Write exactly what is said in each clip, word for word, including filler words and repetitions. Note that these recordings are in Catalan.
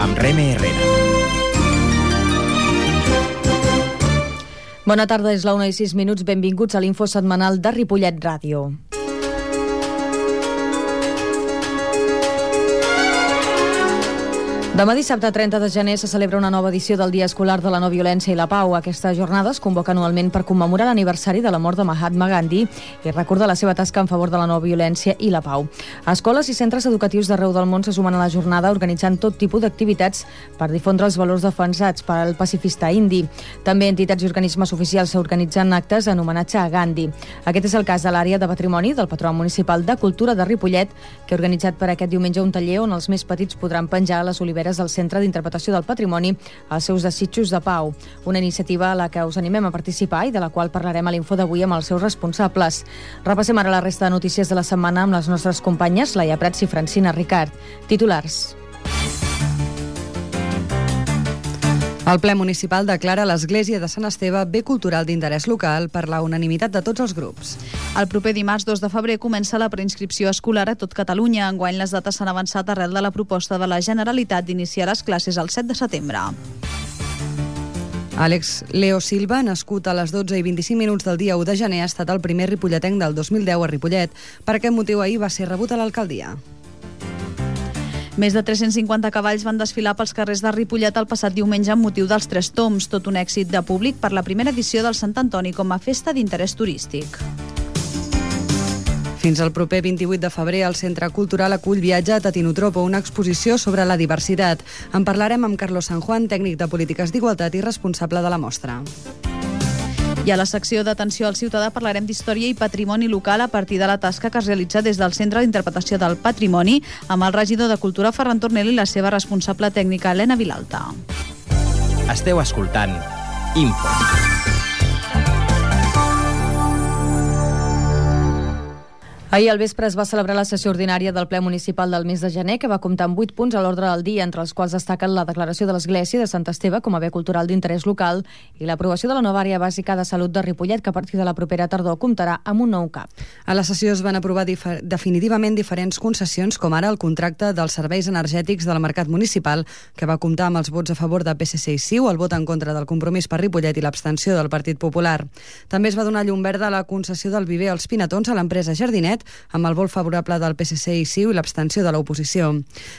amb Reme Herrera. Bona tarda, és la una i sis minuts. Benvinguts a l'Info Setmanal de Ripollet Ràdio. Demà dissabte trenta de gener se celebra una nova edició del Dia Escolar de la No Violència i la Pau. Aquesta jornada es convoca anualment per commemorar l'aniversari de la mort de Mahatma Gandhi i recordar la seva tasca en favor de la no violència i la pau. Escoles i centres educatius d'arreu del món se sumen a la jornada organitzant tot tipus d'activitats per difondre els valors defensats per al pacifista indi. També entitats i organismes oficials organitzen actes en homenatge a Gandhi. Aquest és el cas de l'àrea de patrimoni del Patronat Municipal de Cultura de Ripollet, que ha organitzat per aquest diumenge un taller on els més petits podran penjar a les oliveres del Centre d'Interpretació del Patrimoni els seus desitjos de pau. Una iniciativa a la que us animem a participar i de la qual parlarem a l'Info d'avui amb els seus responsables. Repassem ara la resta de notícies de la setmana amb les nostres companyes Laia Prats i Francina Ricard. Titulars. El ple municipal declara l'Església de Sant Esteve bé cultural d'interès local per la unanimitat de tots els grups. El proper dimarts dos de febrer comença la preinscripció escolar a tot Catalunya. Enguany les dates s'han avançat arrel de la proposta de la Generalitat d'iniciar les classes el set de setembre. Àlex Leo Silva, nascut a les dotze i vint-i-cinc minuts del dia u de gener, ha estat el primer ripolletenc del dos mil deu a Ripollet. Per aquest motiu ahir va ser rebut a l'alcaldia. Més de tres-cents cinquanta cavalls van desfilar pels carrers de Ripollet el passat diumenge amb motiu dels Tres Tombs, tot un èxit de públic per la primera edició del Sant Antoni com a festa d'interès turístic. Fins al proper vint-i-vuit de febrer, el Centre Cultural acull Viatge a Tatinotropo, una exposició sobre la diversitat. En parlarem amb Carlos San Juan, tècnic de polítiques d'igualtat i responsable de la mostra. I a la secció d'atenció al ciutadà parlarem d'història i patrimoni local a partir de la tasca que es realitza des del Centre d'Interpretació del Patrimoni amb el regidor de Cultura Ferran Tornel i la seva responsable tècnica Helena Vilalta. Esteu escoltant Info. Ahir al vespre es va celebrar la sessió ordinària del ple municipal del mes de gener, que va comptar amb vuit punts a l'ordre del dia, entre els quals destaquen la declaració de l'Església de Sant Esteve com a bé cultural d'interès local i l'aprovació de la nova àrea bàsica de salut de Ripollet, que a partir de la propera tardor comptarà amb un nou C A P. A la sessió es van aprovar difer- definitivament diferents concessions, com ara el contracte dels serveis energètics del mercat municipal, que va comptar amb els vots a favor de P S C i C I U, el vot en contra del Compromís per Ripollet i l'abstenció del Partit Popular. També es va donar llum verda a la concessió del viver als Pinatons a l'empresa Jardinet, amb el vot favorable del P S C i C I U i l'abstenció de l'oposició.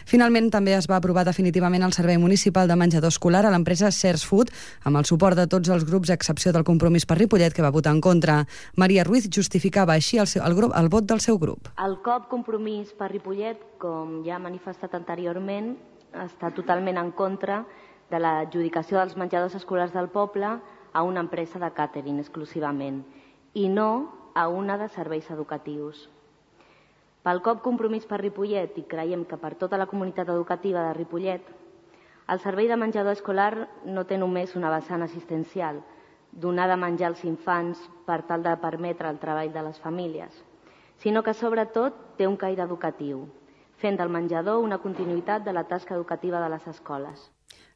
Finalment, també es va aprovar definitivament el servei municipal de menjador escolar a l'empresa Cers Food, amb el suport de tots els grups, a excepció del Compromís per Ripollet, que va votar en contra. Maria Ruiz justificava així el, seu, el, grup, el vot del seu grup. El C O P Compromís per Ripollet, com ja ha manifestat anteriorment, està totalment en contra de l'adjudicació dels menjadors escolars del poble a una empresa de càtering exclusivament i no a una de serveis educatius. Pel C O P Compromís per Ripollet, i creiem que per tota la comunitat educativa de Ripollet, el servei de menjador escolar no té només una vessant assistencial, donar de menjar als infants per tal de permetre el treball de les famílies, sinó que sobretot té un caire educatiu, fent del menjador una continuïtat de la tasca educativa de les escoles.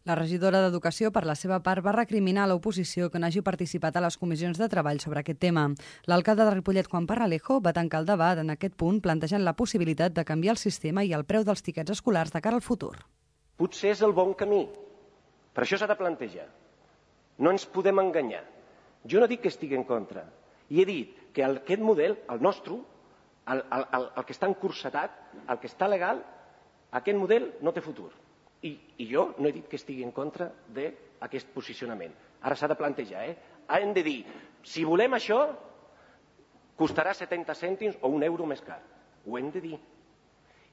La regidora d'Educació, per la seva part, va recriminar a l'oposició que no hagi participat a les comissions de treball sobre aquest tema. L'alcalde de Ripollet, Juan Parralejo, va tancar el debat en aquest punt plantejant la possibilitat de canviar el sistema i el preu dels tiquets escolars de cara al futur. Potser és el bon camí, però això s'ha de plantejar. No ens podem enganyar. Jo no dic que estigui en contra. I he dit que aquest model, el nostre, el, el, el, el que està encursetat, el que està legal, aquest model no té futur. I, I jo no he dit que estigui en contra d'aquest posicionament. Ara s'ha de plantejar, eh? Hem de dir, si volem això, costarà setanta cèntims o un euro més car. Ho hem de dir.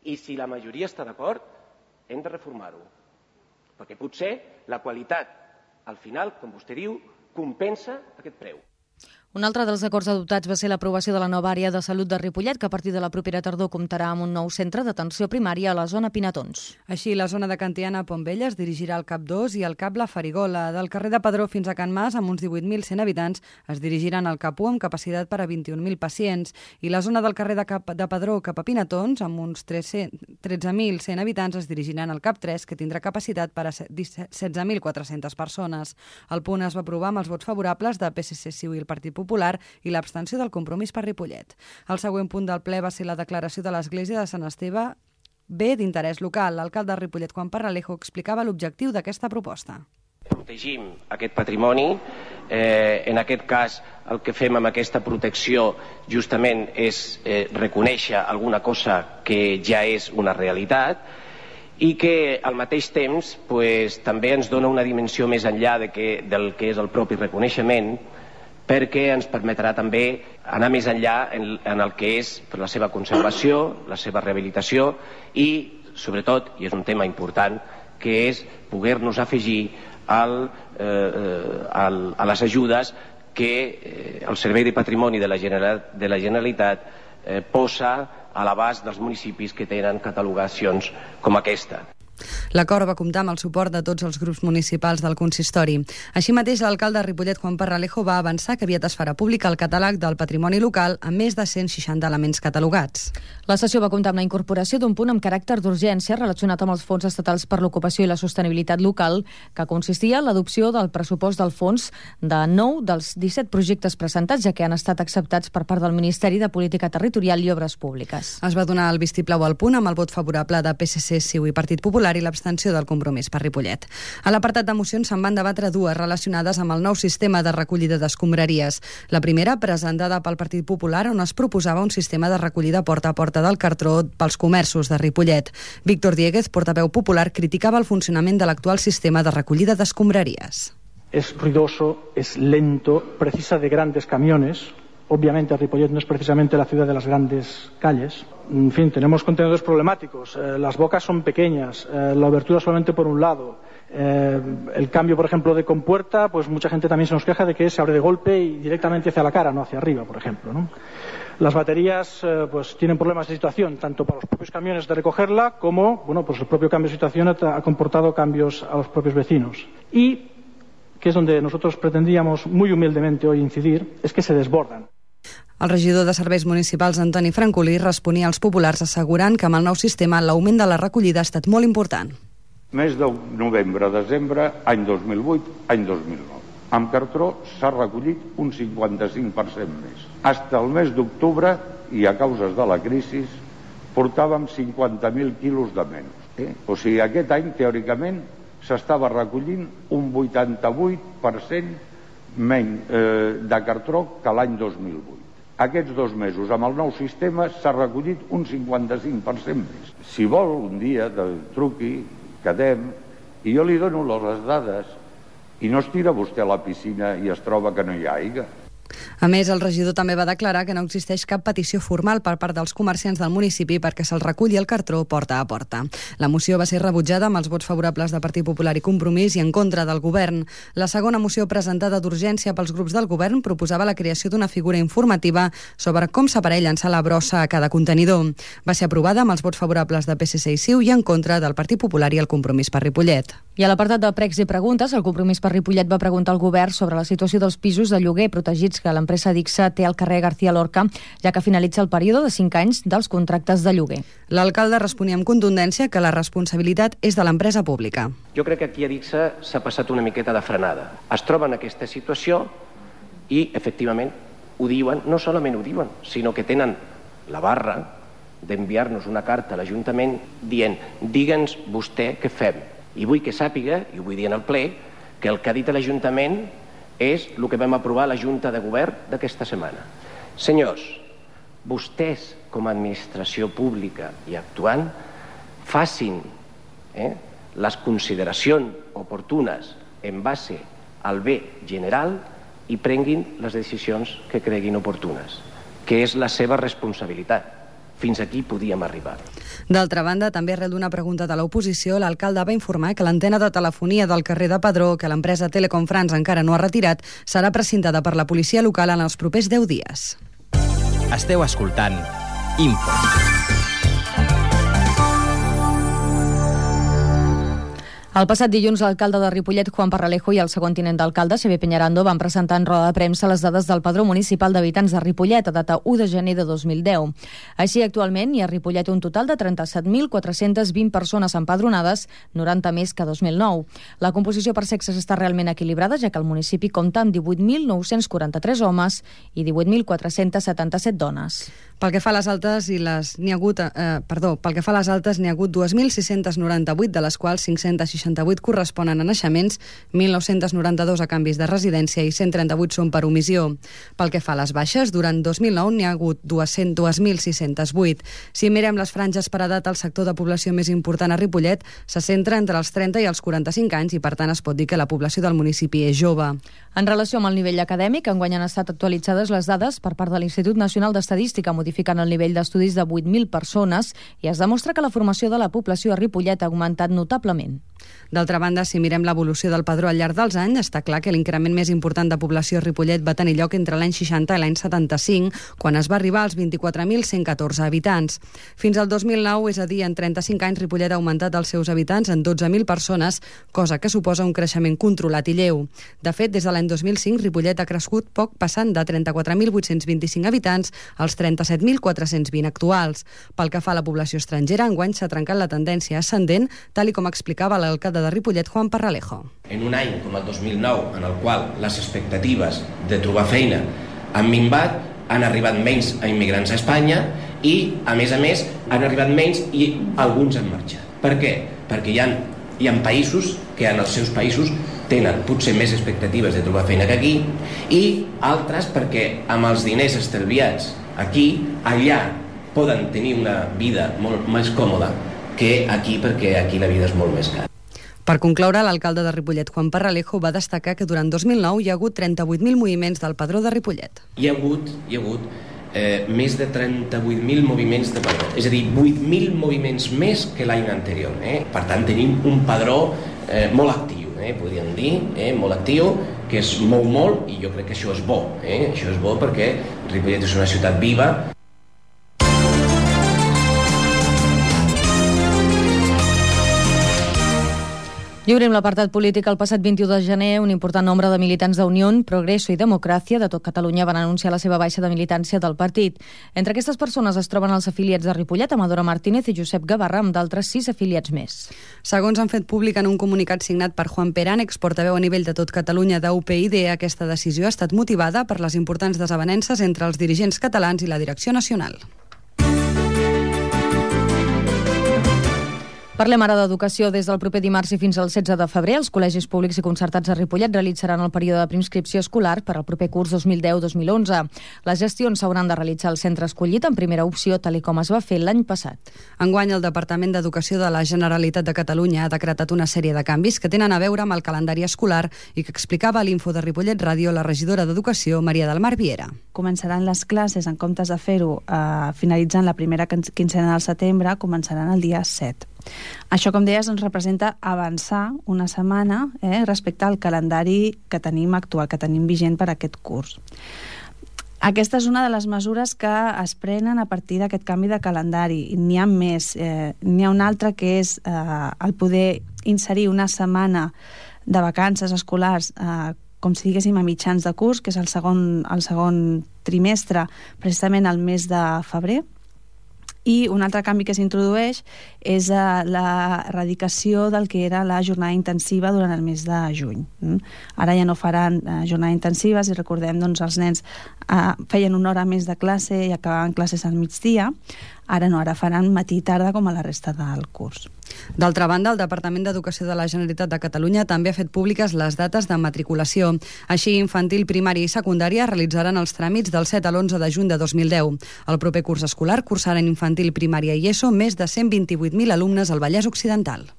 I si la majoria està d'acord, hem de reformar-ho. Perquè potser la qualitat, al final, com vostè diu, compensa aquest preu. Un altre dels acords adoptats va ser l'aprovació de la nova àrea de salut de Ripollet, que a partir de la propera tardor comptarà amb un nou centre d'atenció primària a la zona Pinatons. Així, la zona de Cantiana a Pontvella es dirigirà al C A P dos i al C A P La Farigola. Del carrer de Padró fins a Can Mas, amb uns divuit mil cent habitants, es dirigiran al C A P u amb capacitat per a vint-i-un mil pacients. I la zona del carrer de, Cap de Padró cap a Pinatons, amb uns tretze mil cent habitants, es dirigiran al C A P tres, que tindrà capacitat per a setze mil quatre-centes persones. El punt es va aprovar amb els vots favorables de P S C, C I U i el Partit Popular i l'abstenció del Compromís per Ripollet. El següent punt del ple va ser la declaració de l'Església de Sant Esteve bé d'interès local. L'alcalde de Ripollet, Juan Parralejo, explicava l'objectiu d'aquesta proposta. Protegim aquest patrimoni. Eh, en aquest cas, el que fem amb aquesta protecció justament és eh, reconèixer alguna cosa que ja és una realitat i que al mateix temps pues, també ens dona una dimensió més enllà de que, del que és el propi reconeixement, perquè ens permetrà també anar més enllà en, en el que és la seva conservació, la seva rehabilitació i, sobretot, i és un tema important, que és poder-nos afegir al, eh, al, a les ajudes que eh, el Servei de Patrimoni de la Generalitat, de la Generalitat eh, posa a l'abast dels municipis que tenen catalogacions com aquesta. L'acord va comptar amb el suport de tots els grups municipals del consistori. Així mateix, l'alcalde de Ripollet, Juan Parralejo, va avançar que aviat es farà públic el catàleg del patrimoni local amb més de cent seixanta elements catalogats. La sessió va comptar amb la incorporació d'un punt amb caràcter d'urgència relacionat amb els fons estatals per l'ocupació i la sostenibilitat local, que consistia en l'adopció del pressupost del fons de nou dels disset projectes presentats, ja que han estat acceptats per part del Ministeri de Política Territorial i Obres Públiques. Es va donar el vistiplau al punt amb el vot favorable de P S C, C I U i Partit Popular i l'abstenció del Compromís per Ripollet. A l'apartat de mocions se'n van debatre dues relacionades amb el nou sistema de recollida d'escombraries. La primera, presentada pel Partit Popular, on es proposava un sistema de recollida porta a porta del cartró pels comerços de Ripollet. Víctor Dieguez, portaveu popular, criticava el funcionament de l'actual sistema de recollida d'escombraries. Es ruidoso, es lento, precisa de grandes camiones. Obviamente, Ripollet no es precisamente la ciudad de las grandes calles. En fin, tenemos contenedores problemáticos. Eh, las bocas son pequeñas, eh, la abertura solamente por un lado. Eh, el cambio, por ejemplo, de compuerta, pues mucha gente también se nos queja de que se abre de golpe y directamente hacia la cara, no hacia arriba, por ejemplo, ¿no? Las baterías eh, pues tienen problemas de situación, tanto para los propios camiones de recogerla, como, bueno, pues el propio cambio de situación ha, ha comportado cambios a los propios vecinos. Y, que es donde nosotros pretendíamos muy humildemente hoy incidir, es que se desbordan. El regidor de Serveis Municipals, Antoni Francolí, responia als populars assegurant que amb el nou sistema l'augment de la recollida ha estat molt important. Mes de novembre, desembre, any dos mil vuit, any dos mil nou. Amb cartró s'ha recollit un cinquanta-cinc per cent més. Fins al mes d'octubre, i a causes de la crisi, portàvem cinquanta mil quilos de menys. Eh? O sigui, aquest any, teòricament, s'estava recollint un vuitanta-vuit per cent menys eh, de cartró que l'any dos mil vuit. Aquests dos mesos, amb el nou sistema, s'ha recollit un cinquanta-cinc per cent més. Si vol, un dia, de truqui, quedem, i jo li dono les dades, i no es tira vostè a la piscina i es troba que no hi ha aigua. A més, el regidor també va declarar que no existeix cap petició formal per part dels comerciants del municipi perquè se'l reculli el cartró porta a porta. La moció va ser rebutjada amb els vots favorables de Partit Popular i Compromís i en contra del govern. La segona moció presentada d'urgència pels grups del govern proposava la creació d'una figura informativa sobre com s'aparell llançar la brossa a cada contenidor. Va ser aprovada amb els vots favorables de P S C i C I U i en contra del Partit Popular i el Compromís per Ripollet. I a l'apartat de pregs i preguntes, el Compromís per Ripollet va preguntar al govern sobre la situació dels pisos de lloguer protegits que l'empresa Dixa té al carrer García Lorca, ja que finalitza el període de cinc anys dels contractes de lloguer. L'alcalde responia amb contundència que la responsabilitat és de l'empresa pública. Jo crec que aquí a Dixa s'ha passat una miqueta de frenada. Es troba en aquesta situació i, efectivament, ho diuen, no solament ho diuen, sinó que tenen la barra d'enviar-nos una carta a l'Ajuntament dient digue'ns vostè què fem. I vull que sàpiga, i ho vull dir en el ple, que el que ha dit l'Ajuntament és el que vam aprovar a la Junta de Govern d'aquesta setmana. Senyors, vostès, com a administració pública i actuant, facin eh, les consideracions oportunes en base al bé general i prenguin les decisions que creguin oportunes, que és la seva responsabilitat. Fins aquí podíem arribar. D'altra banda, també arrel d'una pregunta de l'oposició, l'alcalde va informar que l'antena de telefonia del carrer de Padró, que l'empresa Telecom France encara no ha retirat, serà precintada per la policia local en els propers deu dies. Esteu escoltant Info. El passat dilluns, l'alcalde de Ripollet, Juan Parralejo, i el segon tinent d'alcalde, Xavier Peñarando, van presentar en roda de premsa les dades del Padró Municipal d'Habitants de Ripollet a data u de gener de dos mil deu. Així, actualment, hi ha a Ripollet un total de trenta-set mil quatre-cents vint persones empadronades, noranta més que dos mil nou. La composició per sexes està realment equilibrada, ja que el municipi compta amb divuit mil nou-cents quaranta-tres homes i divuit mil quatre-cents setanta-set dones. Pel que fa a les altes, i les n'hi ha hagut, eh, perdó, pel que fa a les altes n'hi ha hagut dos mil sis-cents noranta-vuit, de les quals cinc-cents seixanta-vuit corresponen a naixements, mil nou-cents noranta-dos a canvis de residència i cent trenta-vuit són per omissió. Pel que fa a les baixes, durant dos mil nou n'hi ha hagut dos mil sis-cents vuit. Si mirem les franges per edat, el sector de població més important a Ripollet se centra entre els trenta i els quaranta-cinc anys i, per tant, es pot dir que la població del municipi és jove. En relació amb el nivell acadèmic, enguany han estat actualitzades les dades per part de l'Institut Nacional d'Estadística, modificant el nivell d'estudis de vuit mil persones, i es demostra que la formació de la població a Ripollet ha augmentat notablement. D'altra banda, si mirem l'evolució del padró al llarg dels anys, està clar que l'increment més important de població a Ripollet va tenir lloc entre l'any seixanta i l'any setanta-cinc, quan es va arribar als vint-i-quatre mil cent catorze habitants. Fins al dos mil nou, és a dir, en trenta-cinc anys, Ripollet ha augmentat els seus habitants en dotze mil persones, cosa que suposa un creixement controlat i lleu. De fet, des de l'any dos mil cinc, Ripollet ha crescut poc, passant de trenta-quatre mil vuit-cents vint-i-cinc habitants als trenta-set mil quatre-cents vint actuals. Pel que fa a la població estrangera, enguany s'ha trencat la tendència ascendent, tal i com explicava l'alcalde de Ripollet, Juan Parralejo. En un any com el dos mil nou, en el qual les expectatives de trobar feina han minvat, han arribat menys a immigrants a Espanya i, a més a més, han arribat menys i alguns han marxat. Per què? Perquè hi ha, hi ha països que en els seus països tenen potser més expectatives de trobar feina que aquí, i altres perquè amb els diners estalviats aquí, allà poden tenir una vida molt més còmoda que aquí, perquè aquí la vida és molt més cara. Per concloure, l'alcalde de Ripollet, Juan Parralejo, va destacar que durant dos mil nou hi ha hagut trenta-vuit mil moviments del padró de Ripollet. Hi ha hagut, hi ha hagut eh, més de trenta-vuit mil moviments de padró, és a dir, vuit mil moviments més que l'any anterior. Eh? Per tant, tenim un padró eh, molt actiu, eh, podríem dir, eh, molt actiu, que es mou molt, i jo crec que això és bo. Eh? Això és bo perquè Ripollet és una ciutat viva. I obrim l'apartat polític. El passat vint-i-u de gener, un important nombre de militants d'Unió, Progreso i Democràcia de tot Catalunya van anunciar la seva baixa de militància del partit. Entre aquestes persones es troben els afiliats de Ripollet, Amadora Martínez i Josep Gavarra, amb d'altres sis afiliats més. Segons han fet públic en un comunicat signat per Juan Perán, exportaveu a nivell de tot Catalunya d'U P y D, aquesta decisió ha estat motivada per les importants desavenences entre els dirigents catalans i la direcció nacional. Parlem ara d'educació. Des del proper dimarts i fins al setze de febrer, els col·legis públics i concertats de Ripollet realitzaran el període de preinscripció escolar per al proper curs dos mil deu dos mil onze. Les gestions s'hauran de realitzar al centre escollit en primera opció, tal com es va fer l'any passat. Enguany, el Departament d'Educació de la Generalitat de Catalunya ha decretat una sèrie de canvis que tenen a veure amb el calendari escolar i que explicava a l'Info de Ripollet Ràdio la regidora d'Educació, Maria del Mar Viera. Començaran les classes, en comptes de fer-ho eh, finalitzant la primera quincena del setembre, començaran el dia set. Això, com deies, ens representa avançar una setmana eh, respecte al calendari que tenim actual, que tenim vigent per aquest curs. Aquesta és una de les mesures que es prenen a partir d'aquest canvi de calendari. N'hi ha més. Eh, n'hi ha una altra que és eh, el poder inserir una setmana de vacances escolars eh, com si diguéssim a mitjans de curs, que és el segon, el segon trimestre, precisament el mes de febrer. I un altre canvi que s'introdueix és uh, la erradicació del que era la jornada intensiva durant el mes de juny. Mm? Ara ja no faran uh, jornades intensives, i recordem, doncs, els nens uh, feien una hora més de classe i acabaven classes al migdia. Ara no, ara faran matí i tarda com a la resta del curs. D'altra banda, el Departament d'Educació de la Generalitat de Catalunya també ha fet públiques les dates de matriculació. Així, infantil, primària i secundària realitzaran els tràmits del set a l'onze de juny de dos mil deu. El proper curs escolar cursaran infantil, primària i ESO més de cent vint-i-vuit mil alumnes al Vallès Occidental.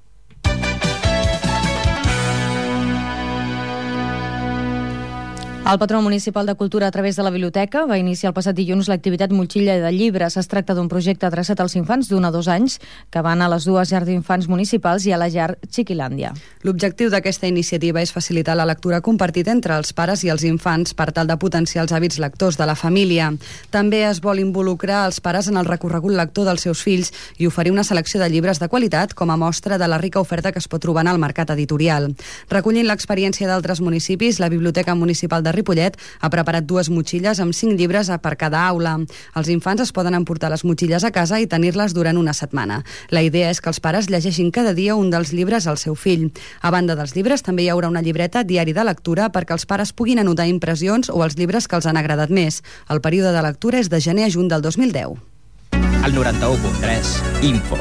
El Patró Municipal de Cultura, a través de la Biblioteca, va iniciar el passat dilluns l'activitat Motxilla de Llibres. Es tracta d'un projecte adreçat als infants d'un a dos anys que van a les dues llars d'infants municipals i a la llar Chiquilàndia. L'objectiu d'aquesta iniciativa és facilitar la lectura compartida entre els pares i els infants per tal de potenciar els hàbits lectors de la família. També es vol involucrar els pares en el recorregut lector dels seus fills i oferir una selecció de llibres de qualitat com a mostra de la rica oferta que es pot trobar en el mercat editorial. Recollint l'experiència d'altres municipis, la Biblioteca Municipal de Ripollet ha preparat dues motxilles amb cinc llibres per cada aula. Els infants es poden emportar les motxilles a casa i tenir-les durant una setmana. La idea és que els pares llegeixin cada dia un dels llibres al seu fill. A banda dels llibres, també hi haurà una llibreta diari de lectura perquè els pares puguin anotar impressions o els llibres que els han agradat més. El període de lectura és de gener a juny del dos mil deu. El noranta-u punt tres, Info.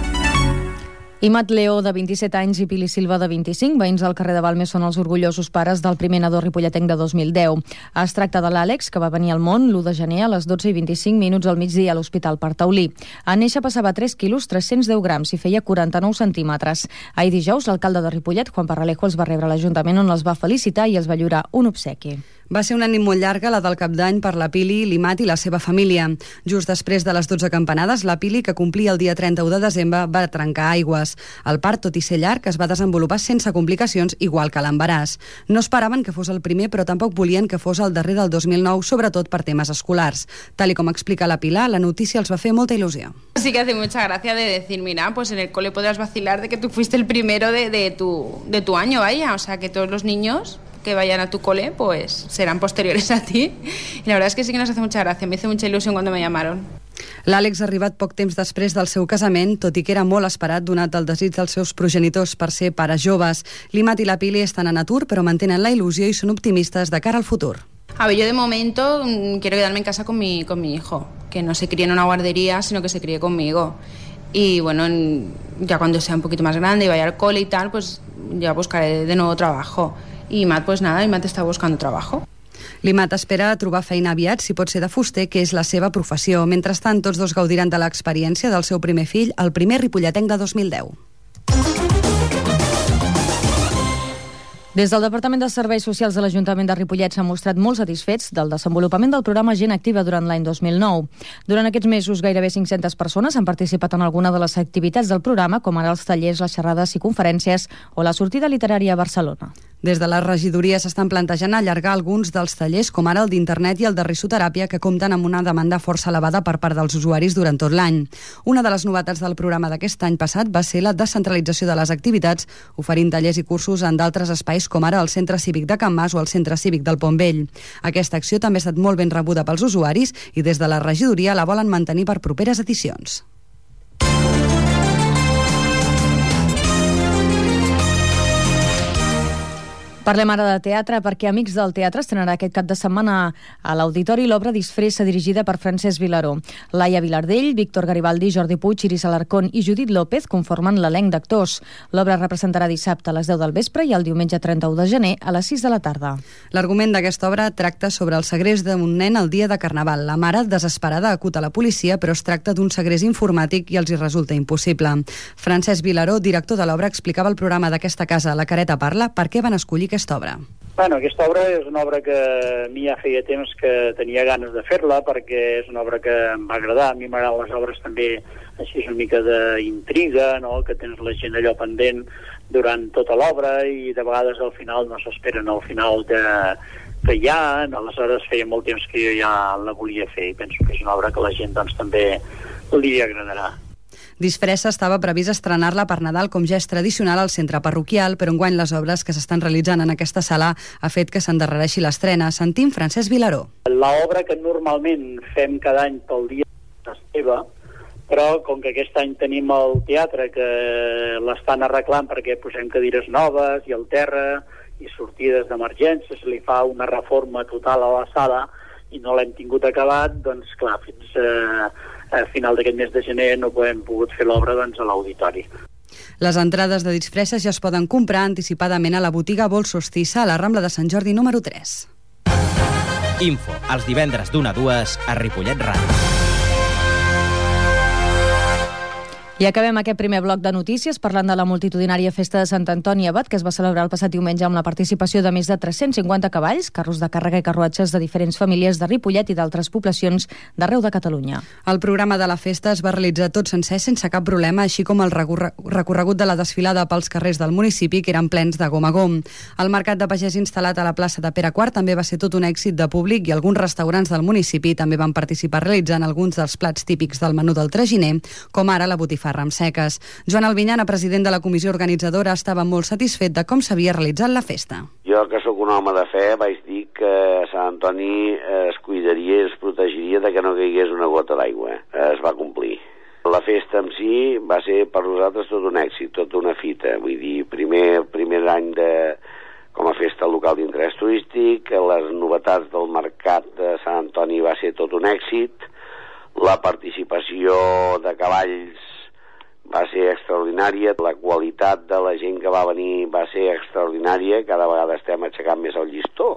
Imat Leó, de vint-i-set anys, i Pili Silva, de vint-i-cinc, veïns del carrer de Balmes, són els orgullosos pares del primer nadó ripolletenc de dos mil deu. Es tracta de l'Àlex, que va venir al món l'u de gener a les dotze i vint-i-cinc minuts al migdia a l'Hospital Partaulí. En néixer pesava tres quilos tres-cents deu grams i feia quaranta-nou centímetres. Ahir dijous, l'alcalde de Ripollet, Juan Parralejo, els va rebre a l'Ajuntament, on els va felicitar i els va lliurar un obsequi. Va ser una nit molt llarga, la del Cap d'Any, per la Pili, l'Imat i la seva família. Just després de les dotze campanades, la Pili, que complia el dia trenta-u de desembre, va trencar aigües. El part, tot i ser llarg, es va desenvolupar sense complicacions, igual que l'embaràs. No esperaven que fos el primer, però tampoc volien que fos el darrer del dos mil nou, sobretot per temes escolars. Tal i com explica la Pilar, la notícia els va fer molta il·lusió. Sí que hace mucha gracia de decir, mira, pues en el cole podrás vacilar de que tú fuiste el primero de, de, tu, de tu año, vaya, o sea, que todos los niños que vayan a tu cole, pues serán posteriores a ti. Y la verdad es que sí que nos hace mucha gracia, me hizo mucha ilusión cuando me llamaron. L'Àlex ha arribat poc temps després del seu casament, tot i que era molt esperat donat el desig dels seus progenitors per ser pares joves. L'Imat i la Pili estan en atur, però mantenen la il·lusió i són optimistes de cara al futur. A ver, yo de momento mmm, quiero quedarme en casa con mi, con mi hijo, que no se críe en una guardería, sino que se críe conmigo. Y bueno, en, ya cuando sea un poquito más grande y vaya al cole y tal, pues ya buscaré de nuevo trabajo. I Mat, pues nada, Mat està buscant trabajo. L'Imat espera trobar feina aviat, si pot ser de fuster, que és la seva professió. Mentrestant, tots dos gaudiran de l'experiència del seu primer fill, el primer ripolletenc de dos mil deu. Des del Departament de Serveis Socials de l'Ajuntament de Ripollet s'han mostrat molt satisfets del desenvolupament del programa Gent Activa durant l'any dos mil nou. Durant aquests mesos, gairebé cinc-centes persones han participat en alguna de les activitats del programa, com ara els tallers, les xerrades i conferències o la sortida literària a Barcelona. Des de la regidoria s'estan plantejant allargar alguns dels tallers, com ara el d'internet i el de risoteràpia, que compten amb una demanda força elevada per part dels usuaris durant tot l'any. Una de les novetats del programa d'aquest any passat va ser la descentralització de les activitats, oferint tallers i cursos en d'altres espais, com ara el Centre Cívic de Can Mas o el Centre Cívic del Pont Vell. Aquesta acció també ha estat molt ben rebuda pels usuaris i des de la regidoria la volen mantenir per properes edicions. Parlem ara de teatre perquè Amics del Teatre estrenarà aquest cap de setmana a l'Auditori l'obra Disfressa, dirigida per Francesc Vilaró. Laia Vilardell, Víctor Garibaldi, Jordi Puig, Iris Alarcón i Judit López conformen l'elenc d'actors. L'obra representarà dissabte a les deu del vespre i el diumenge trenta-u de gener a les sis de la tarda. L'argument d'aquesta obra tracta sobre el segrest d'un nen el dia de Carnaval. La mare, desesperada, acuta la policia, però es tracta d'un segrest informàtic i els hi resulta impossible. Francesc Vilaró, director de l'obra, explicava al programa d'aquesta casa, La Careta Parla, per què van escollir aquesta obra. Bueno, aquesta obra és una obra que a mi ja feia temps que tenia ganes de fer-la, perquè és una obra que em va agradar. A mi m'agraden les obres també així una mica d'intriga, no? Que tens la gent allò pendent durant tota l'obra i de vegades al final no s'esperen al final de, que hi ha. Aleshores feia molt temps que jo ja la volia fer i penso que és una obra que la gent doncs, també li agradarà. Disfressa estava previst estrenar-la per Nadal, com ja és tradicional al centre parroquial, però enguany les obres que s'estan realitzant en aquesta sala ha fet que s'endarrereixi l'estrena. Sentim Francesc Vilaró. L'obra que normalment fem cada any pel dia d'Esteve, però com que aquest any tenim el teatre que l'estan arreglant perquè posem cadires noves i el terra i sortides d'emergència, se li fa una reforma total a la sala i no l'hem tingut acabat, doncs clar, fins eh, a final d'aquest mes de gener no hem pogut fer l'obra doncs, a l'auditori. Les entrades de Disfresses ja es poden comprar anticipadament a la botiga Vol Solstissa a la Rambla de Sant Jordi número tres. Info, els divendres d'una a dues a Ripollet Ràdio. I acabem aquest primer bloc de notícies parlant de la multitudinària festa de Sant Antoni Abat, que es va celebrar el passat diumenge amb la participació de més de tres-cents cinquanta cavalls, carros de càrrega i carruatges de diferents famílies de Ripollet i d'altres poblacions d'arreu de Catalunya. El programa de la festa es va realitzar tot sencer sense cap problema, així com el recorregut de la desfilada pels carrers del municipi, que eren plens de gom a gom. El mercat de pagès instal·lat a la plaça de Pere quart també va ser tot un èxit de públic i alguns restaurants del municipi també van participar realitzant alguns dels plats típics del menú del traginer, com ara la botifarra botifarra amb seques. Joan Albinyana, president de la comissió organitzadora, estava molt satisfet de com s'havia realitzat la festa. Jo, que sóc un home de fe, vaig dir que Sant Antoni es cuidaria i es protegiria de que no caigués una gota d'aigua. Es va complir. La festa en si va ser per nosaltres tot un èxit, tota una fita. Vull dir, primer, primer any de, com a festa local d'interès turístic, les novetats del mercat de Sant Antoni va ser tot un èxit, la participació de cavalls va ser extraordinària, la qualitat de la gent que va venir va ser extraordinària, cada vegada estem aixecant més el llistó.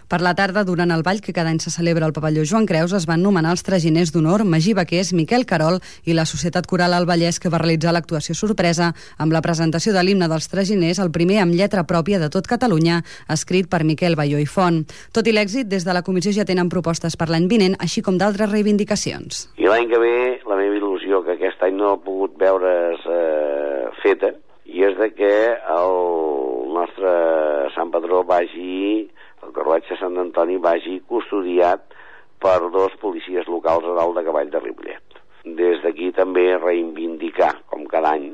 Per la tarda, durant el ball que cada any se celebra al pavelló Joan Creus, es van nomenar els traginers d'honor Magí Baquers, Miquel Carol i la Societat Coral al Vallès, que va realitzar l'actuació sorpresa amb la presentació de l'himne dels traginers, el primer amb lletra pròpia de tot Catalunya, escrit per Miquel Balló i Font. Tot i l'èxit, des de la comissió ja tenen propostes per l'any vinent, així com d'altres reivindicacions. I l'any que ve, la meva il·lusió, que aquest any no ha pogut veure's eh, feta, i és de que el nostre Sant Patró vagi... el carruatge Sant Antoni vagi custodiat per dos policies locals a dalt de cavall de Ripollet. Des d'aquí també reivindicar, com cada any,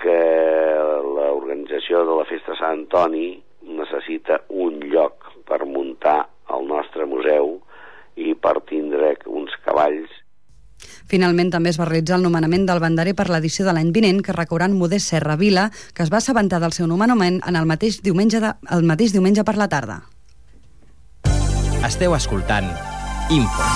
que l'organització de la Festa Sant Antoni necessita un lloc per muntar el nostre museu i per tindre uns cavalls. Finalment, també es va realitzar el nomenament del banderer per l'edició de l'any vinent, que recorre en Modest Serra Vila, que es va assabentar del seu nomenament en el mateix diumenge, de, el mateix diumenge per la tarda. Esteu escoltant Info.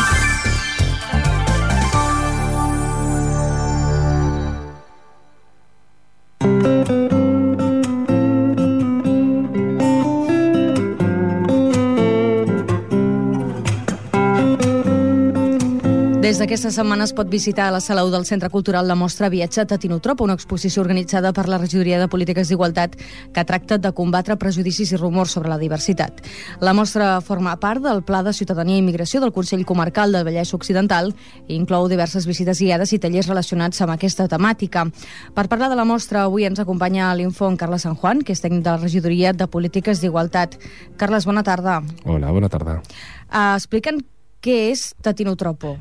Des d'aquesta setmana es pot visitar a la Sala u del Centre Cultural la mostra Viatge Tatinotrop, una exposició organitzada per la Regidoria de Polítiques d'Igualtat que tracta de combatre prejudicis i rumors sobre la diversitat. La mostra forma part del Pla de Ciutadania i Immigració del Consell Comarcal del Vallès Occidental i inclou diverses visites guiades i tallers relacionats amb aquesta temàtica. Per parlar de la mostra, avui ens acompanya a l'Info en Carles San Juan, que és tècnic de la Regidoria de Polítiques d'Igualtat. Carles, bona tarda. Hola, bona tarda. Uh, Explica'ns què és Tatinotropo.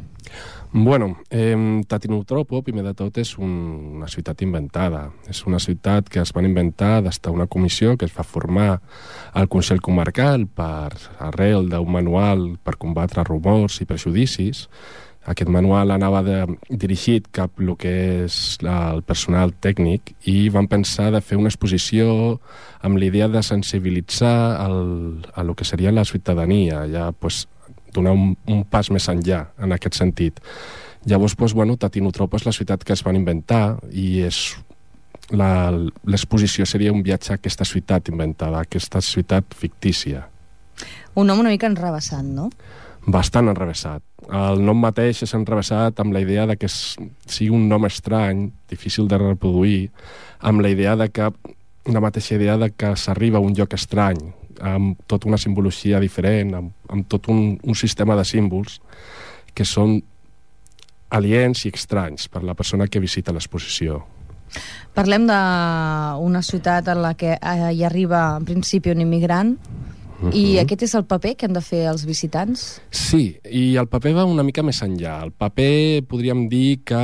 Bueno, eh, Tatinotropo, primer de tot, és un, una ciutat inventada. És una ciutat que es van inventar des d'una comissió que es va formar al Consell Comarcal per arrel d'un manual per combatre rumors i prejudicis. Aquest manual anava de, dirigit cap al que és la, el personal tècnic i van pensar de fer una exposició amb l'idea de sensibilitzar el, a lo que seria la ciutadania, ja pues, donar un, un pas més enllà en aquest sentit. Llavors, doncs, bueno, Tatinotropo és la ciutat que es van inventar i és l'exposició seria un viatge a aquesta ciutat inventada, a aquesta ciutat fictícia. Un nom una mica enrevessat, no? Bastant enrevessat. El nom mateix és enrevessat amb la idea de que sigui un nom estrany, difícil de reproduir, amb la idea de que la mateixa idea de que s'arriba a un lloc estrany, amb tota una simbologia diferent, amb, amb tot un, un sistema de símbols que són aliens i estranys per la persona que visita l'exposició. Parlem d'una ciutat en la que hi arriba en principi un immigrant. Uh-huh. I aquest és el paper que han de fer els visitants? Sí, i el paper va una mica més enllà. El paper podríem dir que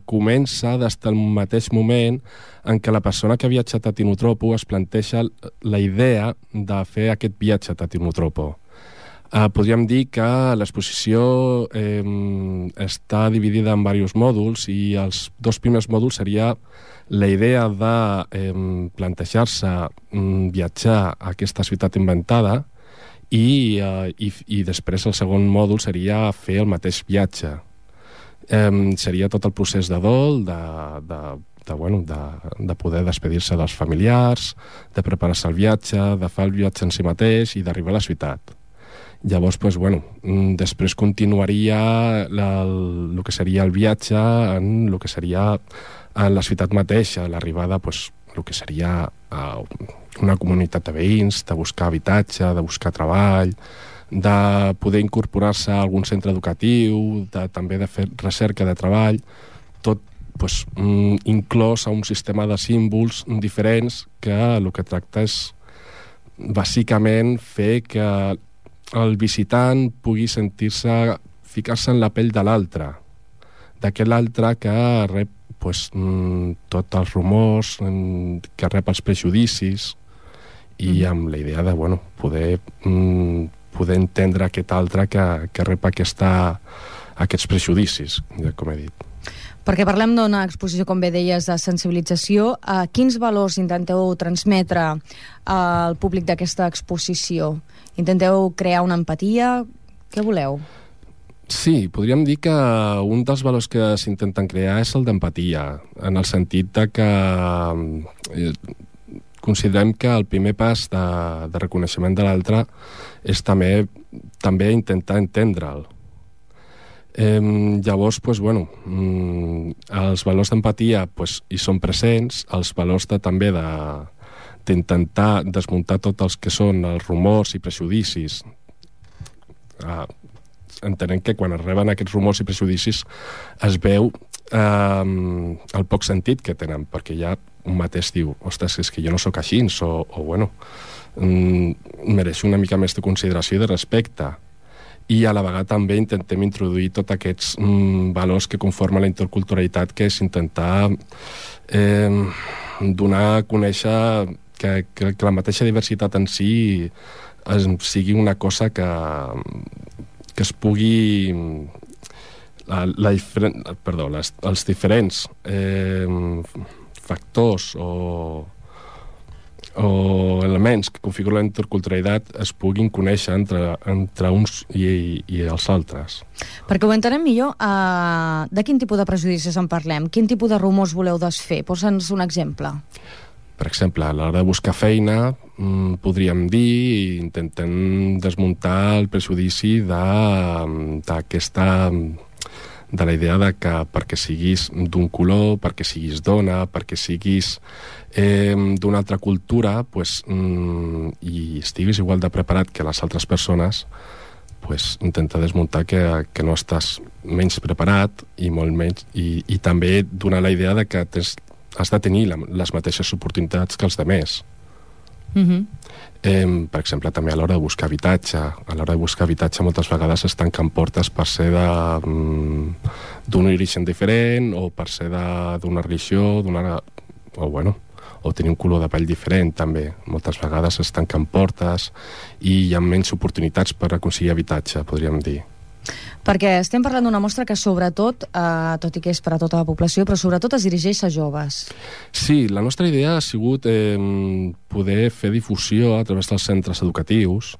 comença des del mateix moment en què la persona que ha viatjat a Tatinotropo es planteja la idea de fer aquest viatge a Tatinotropo. Uh, podríem dir que l'exposició eh, està dividida en diversos mòduls i els dos primers mòduls seria la idea de eh, plantejar-se mm, viatjar a aquesta ciutat inventada i, eh, i, i després el segon mòdul seria fer el mateix viatge. Eh, seria tot el procés de dol, de, de, de, bueno, de, de poder despedir-se dels familiars, de preparar-se el viatge, de fer el viatge en si mateix i d'arribar a la ciutat. Llavors, pues, bueno, després continuaria la, el, el que seria el viatge en el que seria en la ciutat mateixa, l'arribada, pues, el que seria uh, una comunitat de veïns, de buscar habitatge, de buscar treball, de poder incorporar-se a algun centre educatiu, de, també de fer recerca de treball, tot pues, mm, inclòs a un sistema de símbols diferents que el que tracta és bàsicament fer que el visitant pugui sentir-se, ficar-se en la pell de l'altre, d'aquest altre que rep pues, mm, tots els rumors mm, que rep els prejudicis i mm. amb la idea de bueno, poder, mm, poder entendre aquest altre que, que rep aquesta, aquests prejudicis, com he dit. Perquè parlem d'una exposició, com bé deies, de sensibilització. Uh, quins valors intenteu transmetre al públic d'aquesta exposició? Intenteu crear una empatia? Què voleu? Sí, podríem dir que un dels valors que s'intenten crear és el d'empatia, en el sentit de que eh, considerem que el primer pas de, de reconeixement de l'altre és també, també intentar entendre'l. Eh, llavors, pues, bueno, mm, els valors d'empatia pues, hi són presents, els valors de, també de, d'intentar desmuntar tots els que són els rumors i prejudicis. Eh, entenem que quan es reben aquests rumors i prejudicis es veu eh, el poc sentit que tenen, perquè ja un mateix diu, ostres, és que jo no sóc així, o, o bueno, mm, mereixo una mica més de consideració i de respecte. I a la vegada també intentem introduir tots aquests mm, valors que conformen la interculturalitat, que és intentar eh, donar a conèixer que, que, que la mateixa diversitat en si es, sigui una cosa que, que es pugui... La, la diferent, perdó, les, els diferents eh, factors o... o elements que configuren la interculturalitat es puguin conèixer entre, entre uns i, i, i els altres. Perquè ho entenem millor, uh, de quin tipus de prejudicis en parlem? Quin tipus de rumors voleu desfer? Posa'ns un exemple. Per exemple, a l'hora de buscar feina, mmm, podríem dir, intentem desmuntar el prejudici d'aquesta... de la idea de que perquè siguis d'un color, perquè siguis dona, perquè siguis eh, d'una altra cultura, pues, mm, i estiguis igual de preparat que les altres persones, pues, intenta desmuntar que, que no estàs menys preparat i molt menys, i, i també donar la idea de que tens, has de tenir la, les mateixes oportunitats que els demés. Mm-hmm. Eh, per exemple, també a l'hora de buscar habitatge. A l'hora de buscar habitatge moltes vegades es tanquen portes per ser mm, d'un origen diferent o per ser d'una religió, d'una, o, bueno, o tenir un color de pell diferent també. Moltes vegades es tanquen portes i hi ha menys oportunitats per aconseguir habitatge, podríem dir. Perquè estem parlant d'una mostra que sobretot, eh, tot i que és per a tota la població, però sobretot es dirigeix a joves. Sí, la nostra idea ha sigut eh, poder fer difusió a través dels centres educatius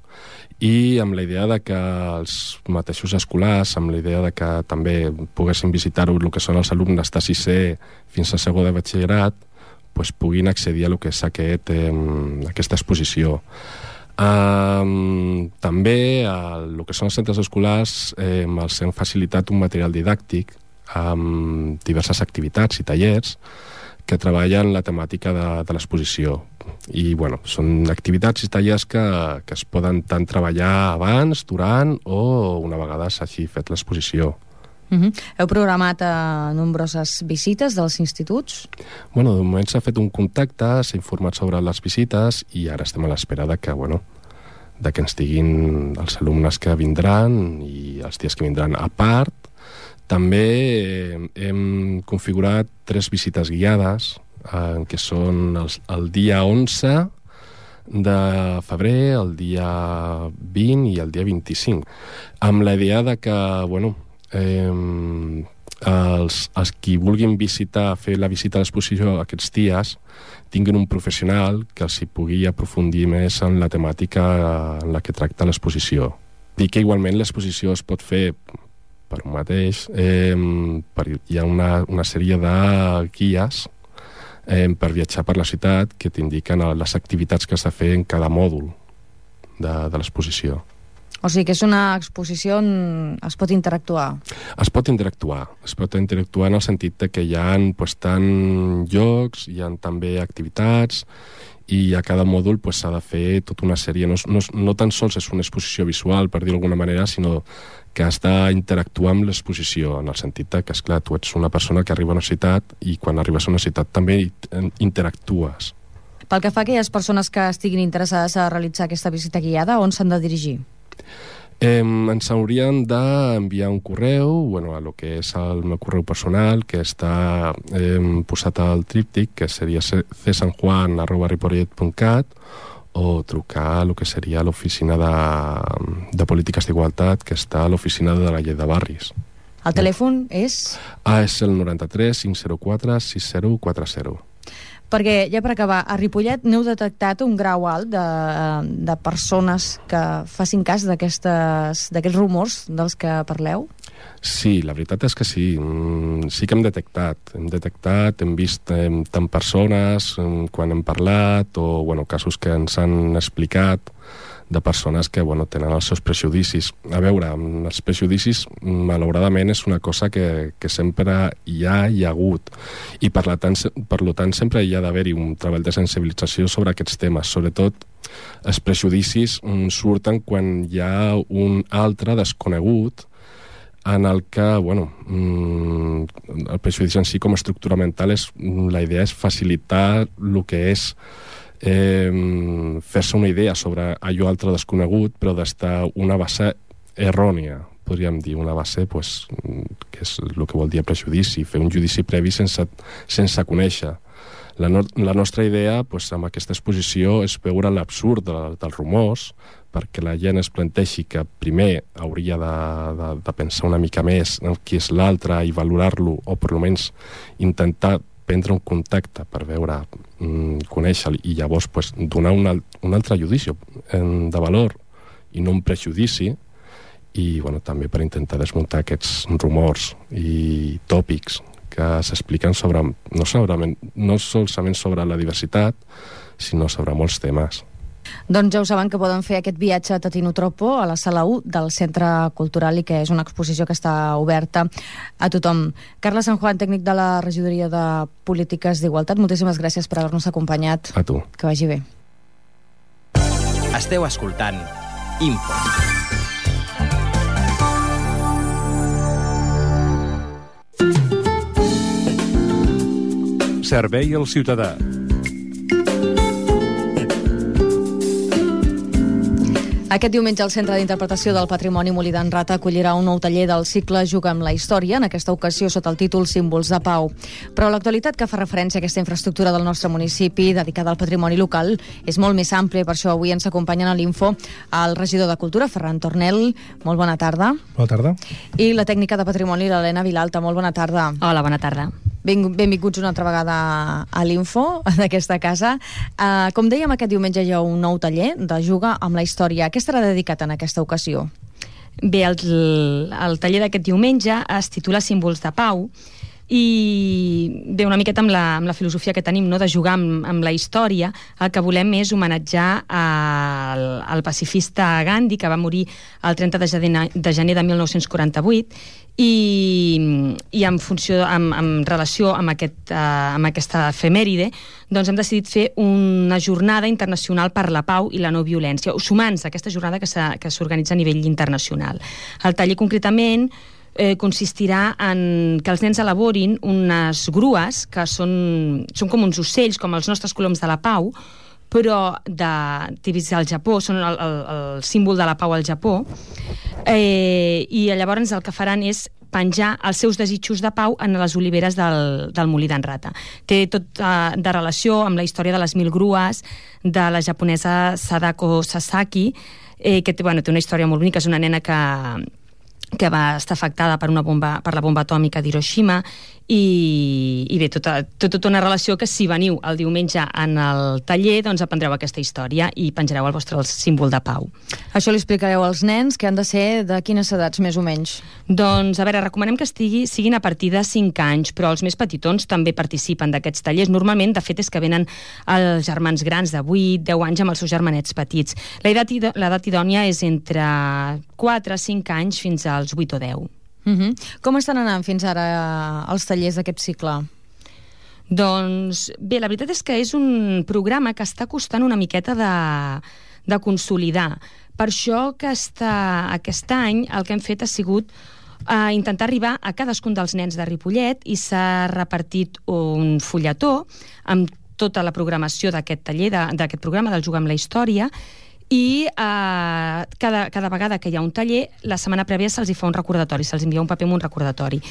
i amb la idea de que els mateixos escolars, amb la idea de que també poguessin visitar-ho el que són els alumnes de sisè fins a segon de batxillerat, pues, puguin accedir a lo que és aquest, eh, aquesta exposició. Um, també el que són els centres escolars eh, els hem facilitat un material didàctic amb diverses activitats i tallers que treballen la temàtica de, de l'exposició i bueno, són activitats i tallers que, que es poden tant treballar abans, durant o una vegada s'hagi fet l'exposició. Uh-huh. Heu programat eh, nombroses visites dels instituts? Bueno, de moment s'ha fet un contacte, s'ha informat sobre les visites i ara estem a l'espera de que, bueno, de que ens diguin els alumnes que vindran i els dies que vindran a part. També eh, hem configurat tres visites guiades, eh, que són els, el dia onze de febrer, el dia vint i el dia vint-i-cinc, amb la idea de que, bueno, eh, els, els qui vulguin visitar, fer la visita a l'exposició aquests dies, tinguin un professional que els hi pugui aprofundir més en la temàtica en la que tracta l'exposició. Dir que igualment l'exposició es pot fer per un mateix, eh, per, hi ha una, una sèrie de guies eh, per viatjar per la ciutat que t'indiquen les activitats que has de fer en cada mòdul de, de l'exposició. O sigui que és una exposició on es pot interactuar. Es pot interactuar. Es pot interactuar en el sentit de que hi ha pues, tant llocs, hi ha també activitats i a cada mòdul pues, s'ha de fer tota una sèrie. No, no, no tan sols és una exposició visual, per dir-ho d'alguna manera, sinó que has d'interactuar amb l'exposició, en el sentit de que, esclar, tu ets una persona que arriba a una ciutat i quan arribes a una ciutat també interactues. Pel que fa a aquelles persones que estiguin interessades a realitzar aquesta visita guiada, on s'han de dirigir? Eh, ens haurien d'enviar un correu, bueno, a lo que és el meu correu personal, que està eh, posat al tríptic, que seria c sanjuan arroba ripollet punt cat, o trucar a lo que seria l'oficina de, de polítiques d'igualtat, que està a l'oficina de la llei de barris. El telèfon és? Ah, és el noranta-tres cinc zero quatre sis zero quatre zero. Perquè, ja per acabar, a Ripollet n'heu detectat un grau alt de, de persones que facin cas d'aquests rumors dels que parleu? Sí, la veritat és que sí. Sí que hem detectat. Hem detectat, hem vist eh, tant persones eh, quan hem parlat o bueno, casos que ens han explicat de persones que bueno, tenen els seus prejudicis. A veure, els prejudicis, malauradament, és una cosa que, que sempre hi ha i ha hagut. I per, la tant, per lo tant sempre hi ha d'haver-hi un treball de sensibilització sobre aquests temes. Sobretot, els prejudicis surten quan hi ha un altre desconegut en el que, bueno, el prejudici en si com a estructura mental, és, la idea és facilitar el que és Eh, fer-se una idea sobre allò altre desconegut, però d'estar una base errònia, podríem dir, una base pues, que és el que vol dir prejudici, fer un judici previ sense, sense conèixer. La, no, la nostra idea pues, amb aquesta exposició és veure l'absurd de, dels rumors, perquè la gent es planteixi que primer hauria de, de, de pensar una mica més en qui és l'altre i valorar-lo, o per almenys intentar prendre un contacte per veure, mm, conèixer-lo i llavors pues, donar un, un altre judici de valor i no un prejudici, i bueno, també per intentar desmuntar aquests rumors i tòpics que s'expliquen sobre, no, sobre, no solament sobre la diversitat, sinó sobre molts temes. Doncs ja ho saben que poden fer aquest viatge a Tatinotropo, a la sala u del Centre Cultural, i que és una exposició que està oberta a tothom. Carles San Juan, tècnic de la Regidoria de Polítiques d'Igualtat, moltíssimes gràcies per haver-nos acompanyat. A tu. Que vagi bé. Esteu escoltant Info. Servei al ciutadà. Aquest diumenge el Centre d'Interpretació del Patrimoni Molí d'en Rata acollirà un nou taller del cicle Juga amb la història, en aquesta ocasió sota el títol Símbols de Pau. Però l'actualitat que fa referència a aquesta infraestructura del nostre municipi dedicada al patrimoni local és molt més àmplia, per això avui ens acompanyen a l'Info el regidor de Cultura, Ferran Tornel. Molt bona tarda. Bona tarda. I la tècnica de Patrimoni, l'Helena Vilalta. Molt bona tarda. Hola, bona tarda. Ben, benvinguts una altra vegada a l'Info d'aquesta casa. Uh, com dèiem, aquest diumenge hi ha un nou taller de Juga amb la història. Què estarà dedicat en aquesta ocasió? Bé, el, el taller d'aquest diumenge es titula Símbols de Pau i bé, una miqueta amb la, amb la filosofia que tenim, no?, de jugar amb, amb la història. El que volem és homenatjar al, al pacifista Gandhi, que va morir el trenta de gener de mil nou-cents quaranta-vuit, i, i en funció, en, en relació amb, aquest, uh, amb aquesta efemèride, doncs hem decidit fer una jornada internacional per la pau i la no violència, sumant-se a aquesta jornada que s'organitza a nivell internacional. El taller concretament Eh, consistirà en que els nens elaborin unes grues que són, són com uns ocells, com els nostres coloms de la pau, però de, típics del Japó, són el, el, el símbol de la pau al Japó, eh, i llavors el que faran és penjar els seus desitjos de pau en les oliveres del, del Molí d'en Rata. Té tot uh, de relació amb la història de les mil grues de la japonesa Sadako Sasaki, eh, que té, bueno, té una història molt bonica. És una nena que que va estar afectada per, una bomba, per la bomba atòmica d'Hiroshima, i, i bé, tota, tota una relació que si veniu el diumenge en el taller, doncs aprendreu aquesta història i penjareu el vostre símbol de pau. Això li explicareu als nens, que han de ser de quines edats, més o menys? Doncs, a veure, recomanem que estigui, siguin a partir de cinc anys, però els més petitons també participen d'aquests tallers. Normalment, de fet, és que venen els germans grans de vuit, deu anys amb els seus germanets petits. L'edat idònia és entre quatre a cinc anys fins als vuit o deu. Uh-huh. Com estan anant fins ara els tallers d'aquest cicle? Doncs bé, la veritat és que és un programa que està costant una miqueta de, de consolidar. Per això que està, aquest any el que hem fet ha sigut uh, intentar arribar a cadascun dels nens de Ripollet, i s'ha repartit un fulletó amb tota la programació d'aquest taller, d'aquest programa del Jugar amb la història, i eh, cada, cada vegada que hi ha un taller, la setmana prèvia se'ls hi fa un recordatori, se'ls envia un paper amb un recordatori.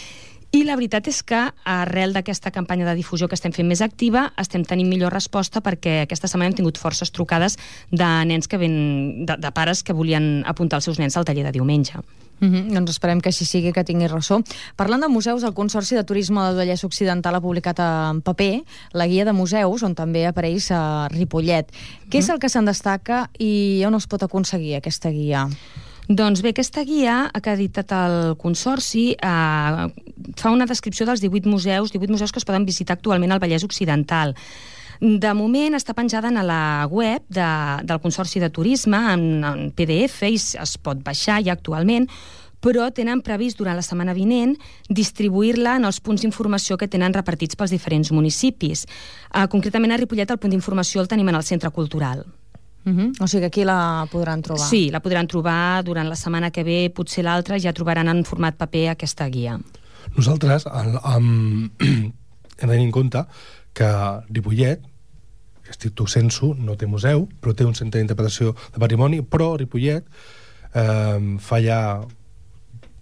I la veritat és que, arrel d'aquesta campanya de difusió que estem fent més activa, estem tenint millor resposta perquè aquesta setmana hem tingut forces trucades de nens que ven, de, de pares que volien apuntar els seus nens al taller de diumenge. Mm-hmm. Doncs esperem que així sigui, que tingui ressò. Parlant de museus, el Consorci de Turisme del Vallès Occidental ha publicat en paper la guia de museus, on també apareix a Ripollet. Què és el que se'n destaca i on es pot aconseguir aquesta guia? Doncs bé, aquesta guia que ha editat el Consorci eh, fa una descripció dels divuit museus, divuit museus que es poden visitar actualment al Vallès Occidental. De moment està penjada a la web de, del Consorci de Turisme en, en P D F i es pot baixar ja actualment, però tenen previst durant la setmana vinent distribuir-la en els punts d'informació que tenen repartits pels diferents municipis. Uh, concretament a Ripollet el punt d'informació el tenim en el Centre Cultural. Uh-huh. O sigui que aquí la podran trobar. Sí, la podran trobar durant la setmana que ve, potser l'altra, ja trobaran en format paper aquesta guia. Nosaltres el, um, hem de tenir en compte que Ripollet, estricto sensu, no té museu, però té un centre d'interpretació de patrimoni, però Ripollet eh, fa ja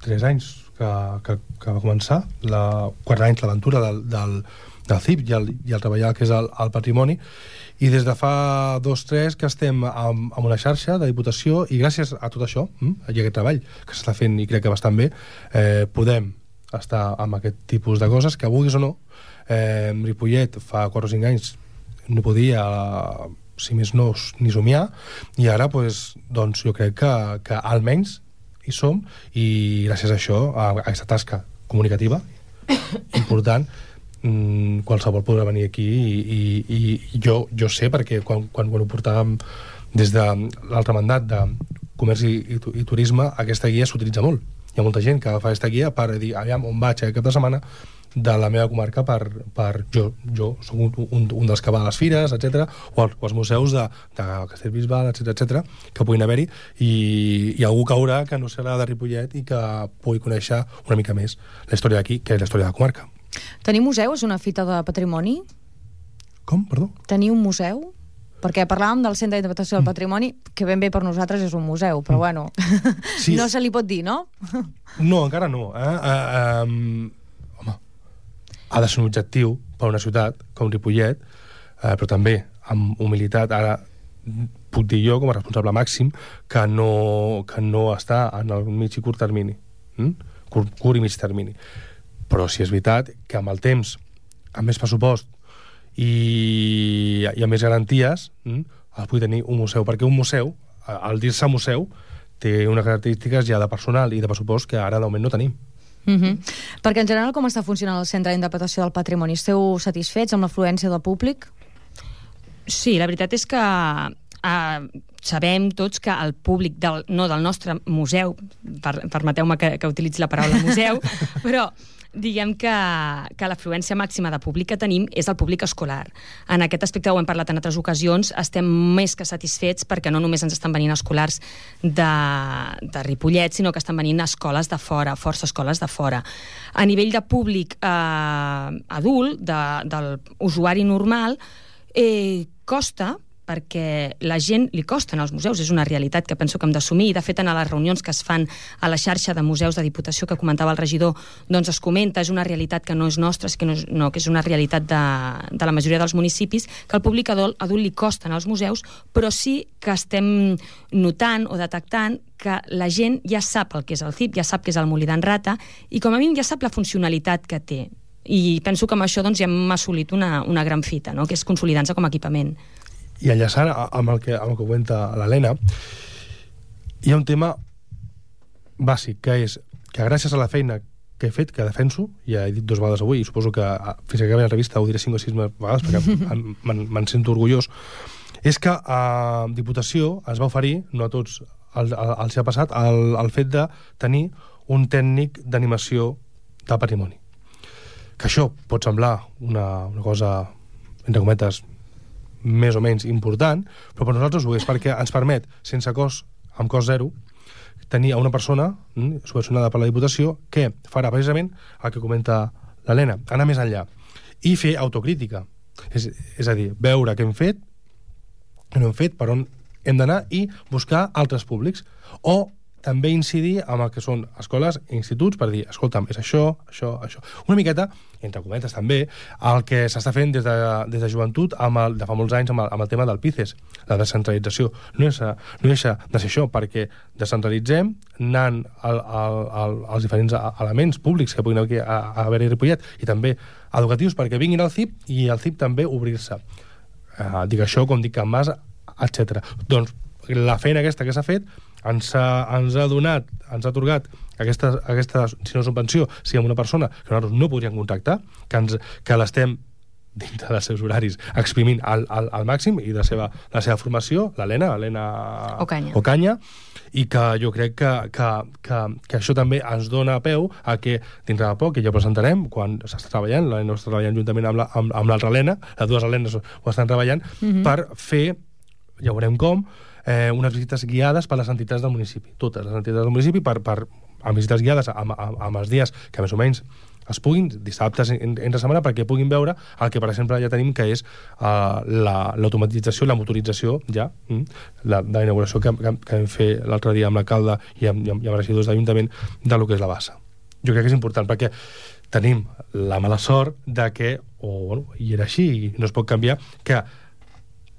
tres anys que, que, que va començar, la, quatre anys l'aventura del, del, del C I P i el, i el treballar que és el, el patrimoni, i des de fa dos, tres que estem amb, amb una xarxa de Diputació i gràcies a tot això, hm, i aquest treball que s'està fent i crec que bastant bé, eh, podem estar amb aquest tipus de coses que vulguis o no. Eh, Ripollet fa quatre o cinc anys no podia, si més no, ni somiar, i ara pues, doncs, jo crec que, que almenys hi som, i gràcies a això, a, a aquesta tasca comunicativa important, mmm, qualsevol podrà venir aquí i, i, i jo, jo sé perquè quan, quan, quan ho portàvem des de l'altre mandat de comerç i, i, i turisme, aquesta guia s'utilitza molt. Hi ha molta gent que fa aquesta guia per dir, aviam, on vaig aquest cap de setmana de la meva comarca per, per jo, jo soc un, un, un dels que va a les fires, etcètera, o, als, o als museus de, de Castellbisbal, etcètera, etcètera, que puguin haver-hi, i, i algú caurà que no serà de Ripollet i que pugui conèixer una mica més la història d'aquí, que és la història de la comarca. Tenir museu és una fita de patrimoni? Com, perdó? Tenir un museu? Perquè parlàvem del Centre d'Interpretació del Patrimoni, que ben bé per nosaltres és un museu, però bueno, sí. No se li pot dir, no? No, encara no. Eh? Uh, um, home, ha de ser un objectiu per a una ciutat com Ripollet, eh, però també amb humilitat. Ara puc dir jo, com a responsable màxim, que no, que no està en el mig i curt termini. Mm? Curt, curt i mig termini. Però sí és veritat que amb el temps, amb més pressupost i, i amb més garanties, mm, el pugui tenir un museu, perquè un museu, al dir-se museu, té unes característiques ja de personal i de pressupost que ara de moment no tenim. Mm-hmm. Perquè en general com està funcionant el Centre d'Interpretació del Patrimoni? Esteu satisfets amb l'afluència del públic? Sí, la veritat és que eh, sabem tots que el públic, del, no del nostre museu, per, permeteu-me que, que utilitzi la paraula museu, però diguem que, que l'afluència màxima de públic que tenim és el públic escolar. En aquest aspecte ho hem parlat en altres ocasions, estem més que satisfets perquè no només ens estan venint escolars de, de Ripollet, sinó que estan venint escoles de fora, força escoles de fora. A nivell de públic eh, adult, de, del usuari normal, eh, costa, perquè la gent li costen als museus, és una realitat que penso que hem d'assumir, i de fet en les reunions que es fan a la xarxa de museus de Diputació que comentava el regidor, doncs es comenta, és una realitat que no és nostra, que no, és, no, que és una realitat de, de la majoria dels municipis, que al públic adult, adult li costen als museus, però sí que estem notant o detectant que la gent ja sap el que és el C I P, ja sap que és el Molí d'en Rata, i com a mínim ja sap la funcionalitat que té. I penso que amb això doncs, ja hem assolit una, una gran fita, no? Que és consolidar-se com a equipament. I enllaçant amb el que, amb el que comenta l'Helena, hi ha un tema bàsic, que és que gràcies a la feina que he fet, que defenso, ja he dit dues vegades avui, i suposo que fins que acabi la revista ho diré cinc o sis vegades, perquè me'n sento orgullós, és que a Diputació es va oferir, no a tots els ha passat, el, el fet de tenir un tècnic d'animació de patrimoni. Que això pot semblar una, una cosa, entre cometes, més o menys important, però per nosaltres ho és, perquè ens permet, sense cost, amb cost zero, tenir a una persona mm, subvencionada per la Diputació que farà precisament el que comenta l'Helena, anar més enllà i fer autocrítica, és, és a dir, veure què hem fet, què no hem fet, per on hem d'anar i buscar altres públics. O també incidir en el que són escoles i instituts per dir, escolta'm, és això, això, això. Una miqueta, entre cometes també, el que s'està fent des de, des de joventut amb el, de fa molts anys amb el, amb el tema del P I C E S, la descentralització. No deixa, no deixa de ser això, perquè descentralitzem anant al, al, al, als diferents elements públics que puguin haver a, a haver-hi a Ripollet i també educatius perquè vinguin al C I P i al C I P també obrir-se. Uh, dic això com dic Can Mas, etcètera. Doncs la feina aquesta que s'ha fet ens ha, ens ha donat, ens ha atorgat aquesta, aquesta, si no subvenció, si amb una persona que nosaltres no podríem contractar, que, ens, que l'estem dintre dels seus horaris exprimint al, al, al màxim i de la seva, la seva formació, l'Helena, l'Helena Ocaña. Ocaña, i que jo crec que, que, que, que això també ens dona peu a que dintre de poc, que ja presentarem, quan s'està treballant, l'Helena està treballant juntament amb, la, amb, amb l'altra Helena, les dues Helenes ho estan treballant, mm-hmm. per fer, ja veurem com, Eh, unes visites guiades per les entitats del municipi, totes les entitats del municipi, per, per, amb visites guiades amb, amb, amb els dies que més o menys es puguin, dissabtes en, entre setmana, perquè puguin veure el que, per exemple, ja tenim, que és uh, l'automatització, la, la motorització, ja, mm, la, de la inauguració que, que, que vam fer l'altre dia amb l'alcalde i amb, i amb, i amb regidors d'Ajuntament de lo que és la bassa. Jo crec que és important, perquè tenim la mala sort de que, o bueno, i era així, i no es pot canviar, que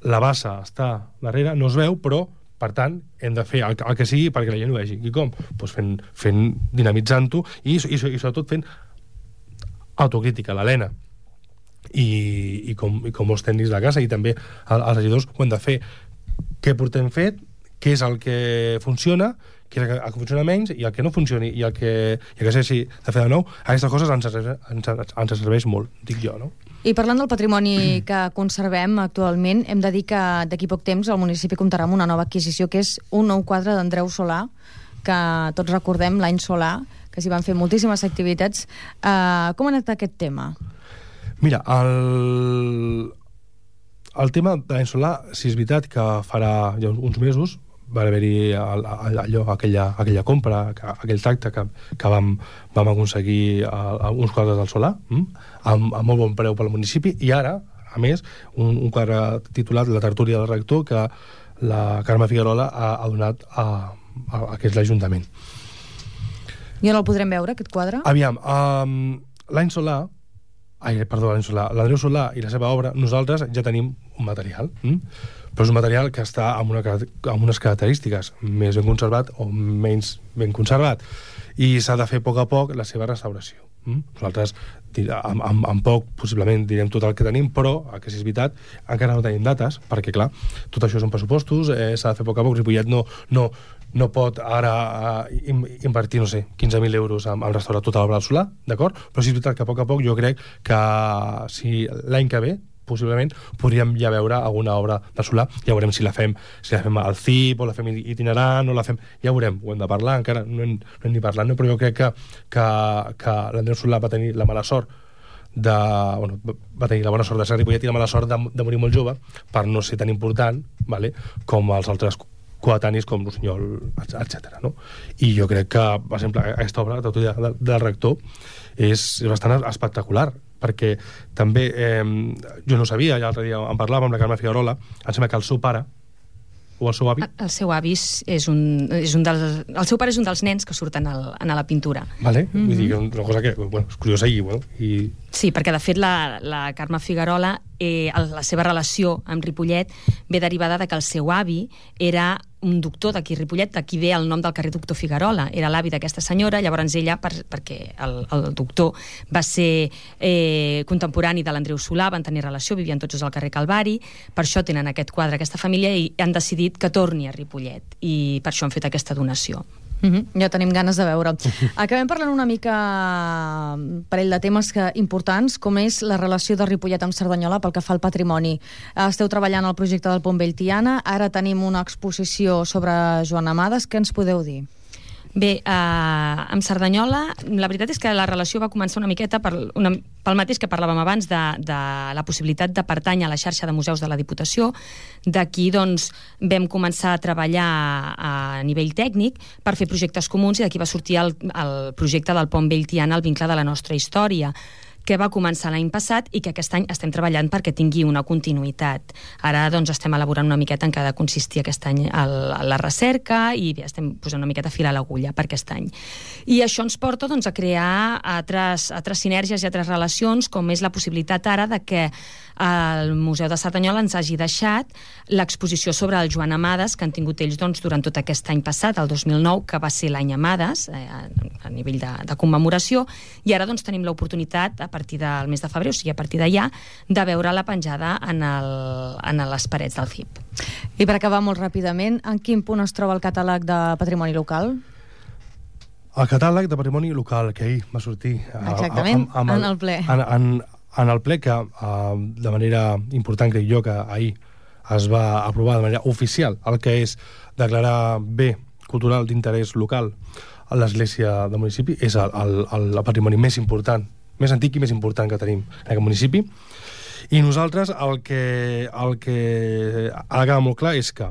la bassa està darrere, no es veu, però, per tant, hem de fer el, el que sigui perquè la gent ho vegi. I com? Pues fent, fent dinamitzant-ho i, i, i sobretot fent autocrítica, l'Helena. I, i, com, I com molts tècnics de casa i també els regidors ho hem de fer. Què portem fet? Què és el que funciona? Què és el que funciona menys? I el que no funcioni i el que, i el que s'hagi de fer de nou, aquestes coses ens, ens, ens serveix molt, dic jo, no? I parlant del patrimoni que conservem actualment, hem de dir que d'aquí poc temps el municipi comptarà amb una nova adquisició, que és un nou quadre d'Andreu Solà, que tots recordem l'any Solà, que s'hi van fer moltíssimes activitats. Uh, com ha anat aquest tema? Mira, el, el tema de l'any Solà, si és veritat que farà ja uns mesos va haver-hi allò, aquella, aquella compra, aquell tracte que, que vam, vam aconseguir a, a uns quadres del Solà, mm? amb, amb molt bon preu pel municipi, i ara, a més, un, un quadre titulat La tertúlia del rector, que la Carme Figuerola ha, ha donat a, a, a que és l'Ajuntament. I on el podrem veure, aquest quadre? Aviam, um, l'any Solà, ai, perdó, l'any Solà, l'Andreu Solà i la seva obra, nosaltres ja tenim un material, mm? però és un material que està amb, una, amb unes característiques més ben conservat o menys ben conservat, i s'ha de fer a poc a poc la seva restauració. Mm? Nosaltres, amb, amb, amb poc, possiblement direm tot el que tenim, però, el que sí és veritat, encara no tenim dates, perquè, clar, tot això són pressupostos, eh, s'ha de fer a poc a poc. Ripollet no, no, no pot ara uh, invertir, no sé, quinze mil euros en, en restaurar tota l'obra del Solà, d'acord? Però sí és veritat que a poc a poc jo crec que si l'any que ve possiblement podríem ja veure alguna obra de Solà, ja veurem si la fem si la fem al C I P o la fem itinerant o la fem, ja veurem, ho hem de parlar, encara no hem, no hem ni parlat, no? Però jo crec que, que, que l'Andreu Solà va tenir la mala sort de, bueno, va tenir la bona sort de ser Ripollet i la mala sort de, de morir molt jove per no ser tan important, vale? Com els altres coetanis com Rossinyol, etcètera. No? I jo crec que, per exemple, aquesta obra de, de, del rector és, és bastant espectacular, perquè també, eh, jo no sabia, ja l'altre dia en parlàvem amb la Carme Figuerola, em sembla que el seu pare o el seu avi... El seu avi és un, és un dels... El seu pare és un dels nens que surten al, a la pintura. Vale, mm-hmm. Vull dir que una cosa que, bueno, és curiosa i... Bueno, i... Sí, perquè de fet la, la Carme Figuerola, eh, la seva relació amb Ripollet ve derivada de que el seu avi era un doctor d'aquí a Ripollet, d'aquí ve el nom del carrer Doctor Figuerola, era l'avi d'aquesta senyora, llavors ella, per, perquè el, el doctor va ser eh, contemporani de l'Andreu Solà, van tenir relació, vivien tots al carrer Calvari, per això tenen aquest quadre, aquesta família, i han decidit que torni a Ripollet, i per això han fet aquesta donació. Mm-hmm. Ja tenim ganes de veure'l. Acabem parlant una mica un parell de temes que, importants, com és la relació de Ripollet amb Cerdanyola pel que fa al patrimoni. Esteu treballant al projecte del Pont Vell Tiana, ara tenim una exposició sobre Joan Amades. Què ens podeu dir? Bé, eh, amb Cerdanyola, la veritat és que la relació va començar una miqueta per una, pel mateix que parlàvem abans de, de la possibilitat de pertànyer a la xarxa de museus de la Diputació. D'aquí, doncs, vam començar a treballar a nivell tècnic per fer projectes comuns i d'aquí va sortir el, el projecte del Pont Vell Tiana, el vincle de la nostra història, que va començar l'any passat i que aquest any estem treballant perquè tingui una continuïtat. Ara doncs, estem elaborant una miqueta en què ha de consistir aquest any el, la recerca i bé, estem posant una miqueta a filar l'agulla per aquest any. I això ens porta doncs, a crear altres, altres sinergies i altres relacions, com és la possibilitat ara de que el Museu de Cerdanyola ens hagi deixat l'exposició sobre el Joan Amades, que han tingut ells doncs, durant tot aquest any passat, el dos mil nou, que va ser l'any Amades, eh, a nivell de, de commemoració, i ara doncs, tenim l'oportunitat, a partir del mes de febrer, o sigui, a partir d'allà, de veure-la penjada en, el, en les parets del F I P. I per acabar molt ràpidament, en quin punt es troba el catàleg de patrimoni local? El catàleg de patrimoni local, que ahir va sortir... Exactament, a, a, a, en el ple. En, en, en el ple que, uh, de manera important, crec jo, que ahir es va aprovar de manera oficial el que és declarar bé cultural d'interès local a l'església del municipi, és el, el, el patrimoni més important, més antic i més important que tenim en aquest municipi. I nosaltres el que, el que ha de quedar molt clar és que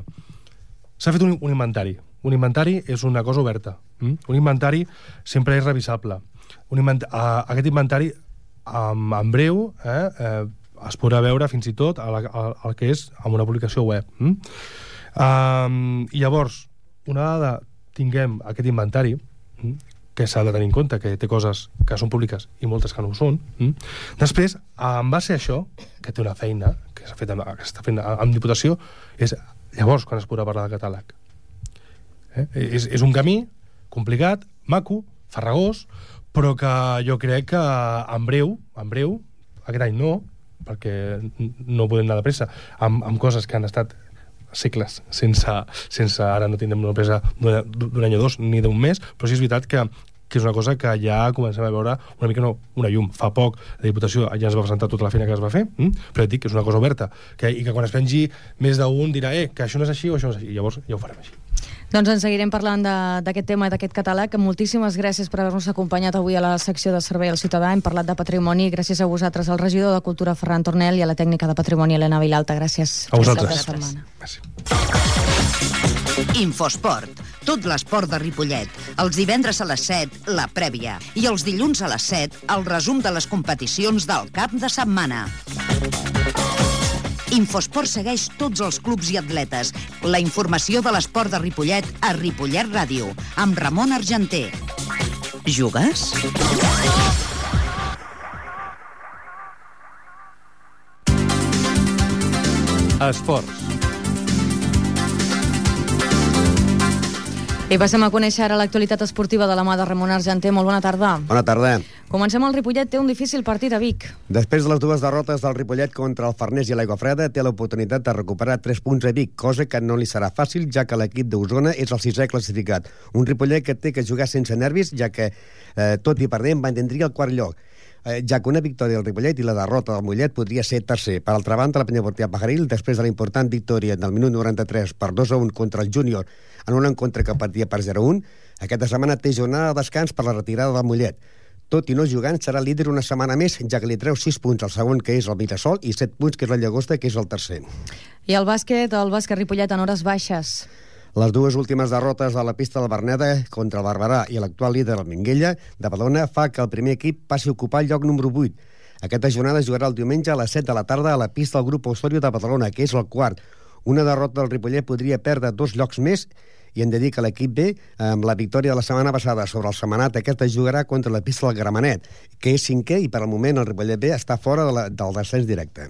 s'ha fet un, un inventari. Un inventari és una cosa oberta. Mm? Un inventari sempre és revisable. Un invent... uh, aquest inventari en, en breu eh, eh, es podrà veure fins i tot el, el, el que és amb una publicació web. Mm? Um, I llavors, una vegada tinguem aquest inventari, mm, que s'ha de tenir en compte, que té coses que són públiques i moltes que no ho són, mm, després, en base a això, que té una feina que s'ha fet amb, que s'està fent amb Diputació, és llavors quan es podrà parlar de catàleg. Eh? És, és un camí complicat, maco, farragós, però que jo crec que en breu, en breu, aquest any no, perquè no podem anar de pressa, amb, amb coses que han estat segles, sense, sense ara no tindrem una presa d'un any o dos, ni d'un mes, però sí és veritat que, que és una cosa que ja comencem a veure una mica no, una llum. Fa poc la Diputació ja ens va presentar tota la feina que es va fer, hm? però et dic que és una cosa oberta, que, i que quan es pengi més d'un dirà eh, que això no és així o això no és així, i llavors ja ho farem així. Doncs en seguirem parlant d'aquest tema i d'aquest catàleg. Moltíssimes gràcies per haver-nos acompanyat avui a la secció de Servei al Ciutadà. Hem parlat de patrimoni. Gràcies a vosaltres, al regidor de Cultura, Ferran Tornel, i a la tècnica de patrimoni, Helena Vilalta. Gràcies. A vosaltres. Gràcies. Infosport. Tot l'esport de Ripollet. Els divendres a les set, la prèvia. I els dilluns a les set, el resum de les competicions del cap de setmana. Infosport segueix tots els clubs i atletes. La informació de l'esport de Ripollet a Ripollet Ràdio, amb Ramon Argenter. Jugues? Esports. I passem a conèixer ara l'actualitat esportiva de la mà de Ramon Argenter. Molt bona tarda. Bona tarda. Comencem. El Ripollet té un difícil partit a Vic. Després de les dues derrotes del Ripollet contra el Farners i l'Aigua Freda, té l'oportunitat de recuperar tres punts a Vic, cosa que no li serà fàcil, ja que l'equip d'Osona és el sisè classificat. Un Ripollet que té que jugar sense nervis, ja que, eh, tot i perdent, mantindria el quart lloc, eh, ja que una victòria del Ripollet i la derrota del Mollet podria ser tercer. Per altra banda, la Penyaportia Pajaril, després de la important victòria del minut noranta-tres per dos a un contra el Júnior, en un encontre que partia per zero a un, aquesta setmana té jornada de descans per la retirada del Mollet. Tot i no jugant, serà líder una setmana més, ja que li treu sis punts al segon, que és el Mirasol, i set punts, que és la Llagosta, que és el tercer. I el bàsquet, el bàsquet Ripollet en hores baixes. Les dues últimes derrotes a la pista del Berneda contra el Barberà i l'actual líder, el Minguella, de Badalona, fa que el primer equip passi a ocupar el lloc número vuit. Aquesta jornada jugarà el diumenge a les set de la tarda a la pista del grup Osorio de Badalona, que és el quart. Una derrota del Ripollet podria perdre dos llocs més, i hem de dir que l'equip B, amb la victòria de la setmana passada sobre el Setmanat, aquesta jugarà contra la pista del Gramenet, que és cinquè, i per al moment el Ripollet B està fora de la, del descens directe.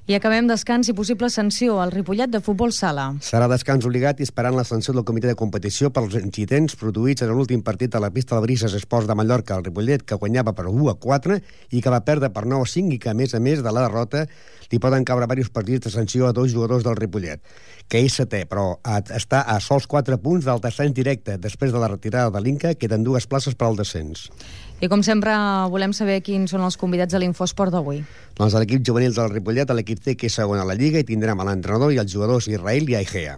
I acabem descans i possible sanció al Ripollet de futbol sala. Serà descans obligat i esperant la sanció del comitè de competició pels incidents produïts en l'últim partit a la pista del Brises Esports de Mallorca, el Ripollet, que guanyava per u a quatre i que va perdre per nou a cinc, i que, a més a més de la derrota, li poden caure diversos partits de sanció a dos jugadors del Ripollet, que és setè, però està a sols quatre punts del descens directe. Després de la retirada de l'Inca, queden dues places per al descens. I com sempre, volem saber quins són els convidats a l'Infosport d'avui. Doncs a l'equip juvenil del Ripollet, a l'equip C, que és segon a la Lliga, i tindrem a l'entrenador i els jugadors Israel i Aigea.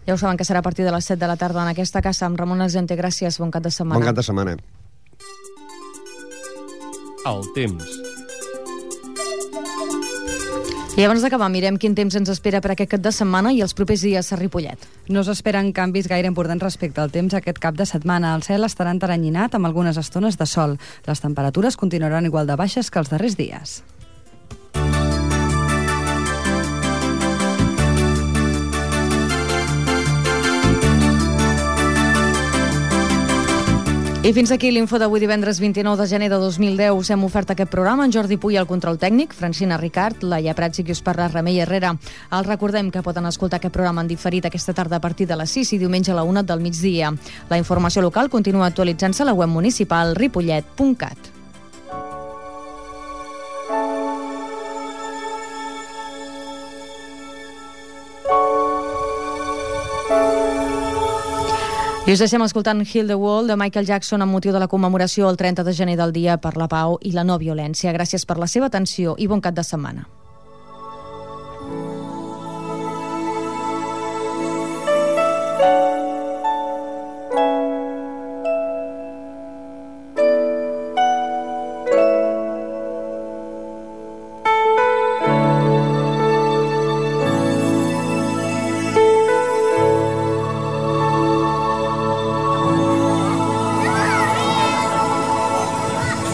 Ja ho saben que serà a partir de les set de la tarda en aquesta casa amb Ramon Argenter. Gràcies, bon cap de setmana. Bon cap de setmana. El temps. I abans d'acabar, mirem quin temps ens espera per aquest cap de setmana i els propers dies a Ripollet. No s'esperen canvis gaire importants respecte al temps aquest cap de setmana. El cel estarà enteranyinat amb algunes estones de sol. Les temperatures continuaran igual de baixes que els darrers dies. I fins aquí l'info d'avui divendres vint-i-nou de gener de dos mil deu. Us hem ofert aquest programa en Jordi Puy al control tècnic, Francina Ricard, Laia Prats i qui us parla Remei Herrera. Els recordem que poden escoltar aquest programa en diferit aquesta tarda a partir de les sis i diumenge a la una del migdia. La informació local continua actualitzant-se a la web municipal ripollet punt cat. I us deixem escoltant Heal the World de Michael Jackson amb motiu de la commemoració el trenta de gener del Dia per la Pau i la No Violència. Gràcies per la seva atenció i bon cap de setmana.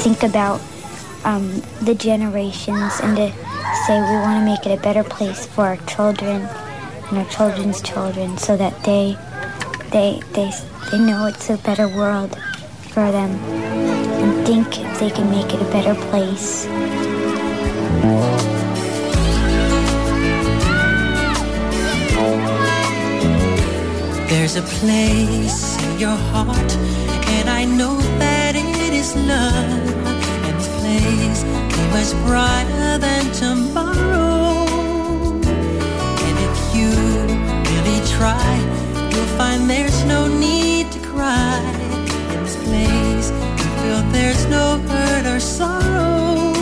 Think about um, the generations and to say we want to make it a better place for our children and our children's children so that they they they they know it's a better world for them and think if they can make it a better place. There's a place in your heart and I know that it is love. Place be much brighter than tomorrow. And if you really try, you'll find there's no need to cry. In this place, you feel there's no hurt or sorrow.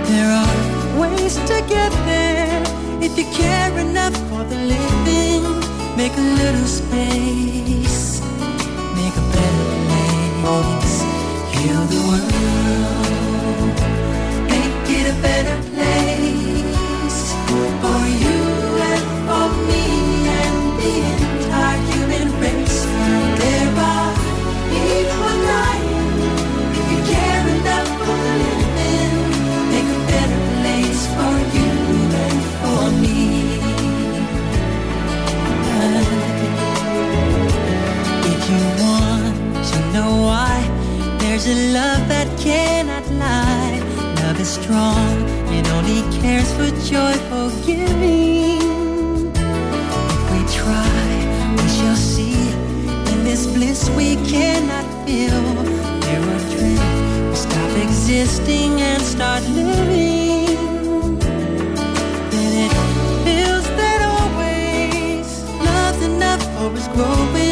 There are ways to get there if you care enough for the living. Make a little space, make a better place. Heal the world, make it a better place for you and for me and the entire human race. There are people dying. If you care enough for the living, make a better place for you and for me. If you want to know why, there's a love that cannot lie. Love is strong, it only cares for joyful giving. If we try, we shall see. In this bliss we cannot feel. There are dreams, we stop existing and start living. Then it feels that always love's enough for us growing.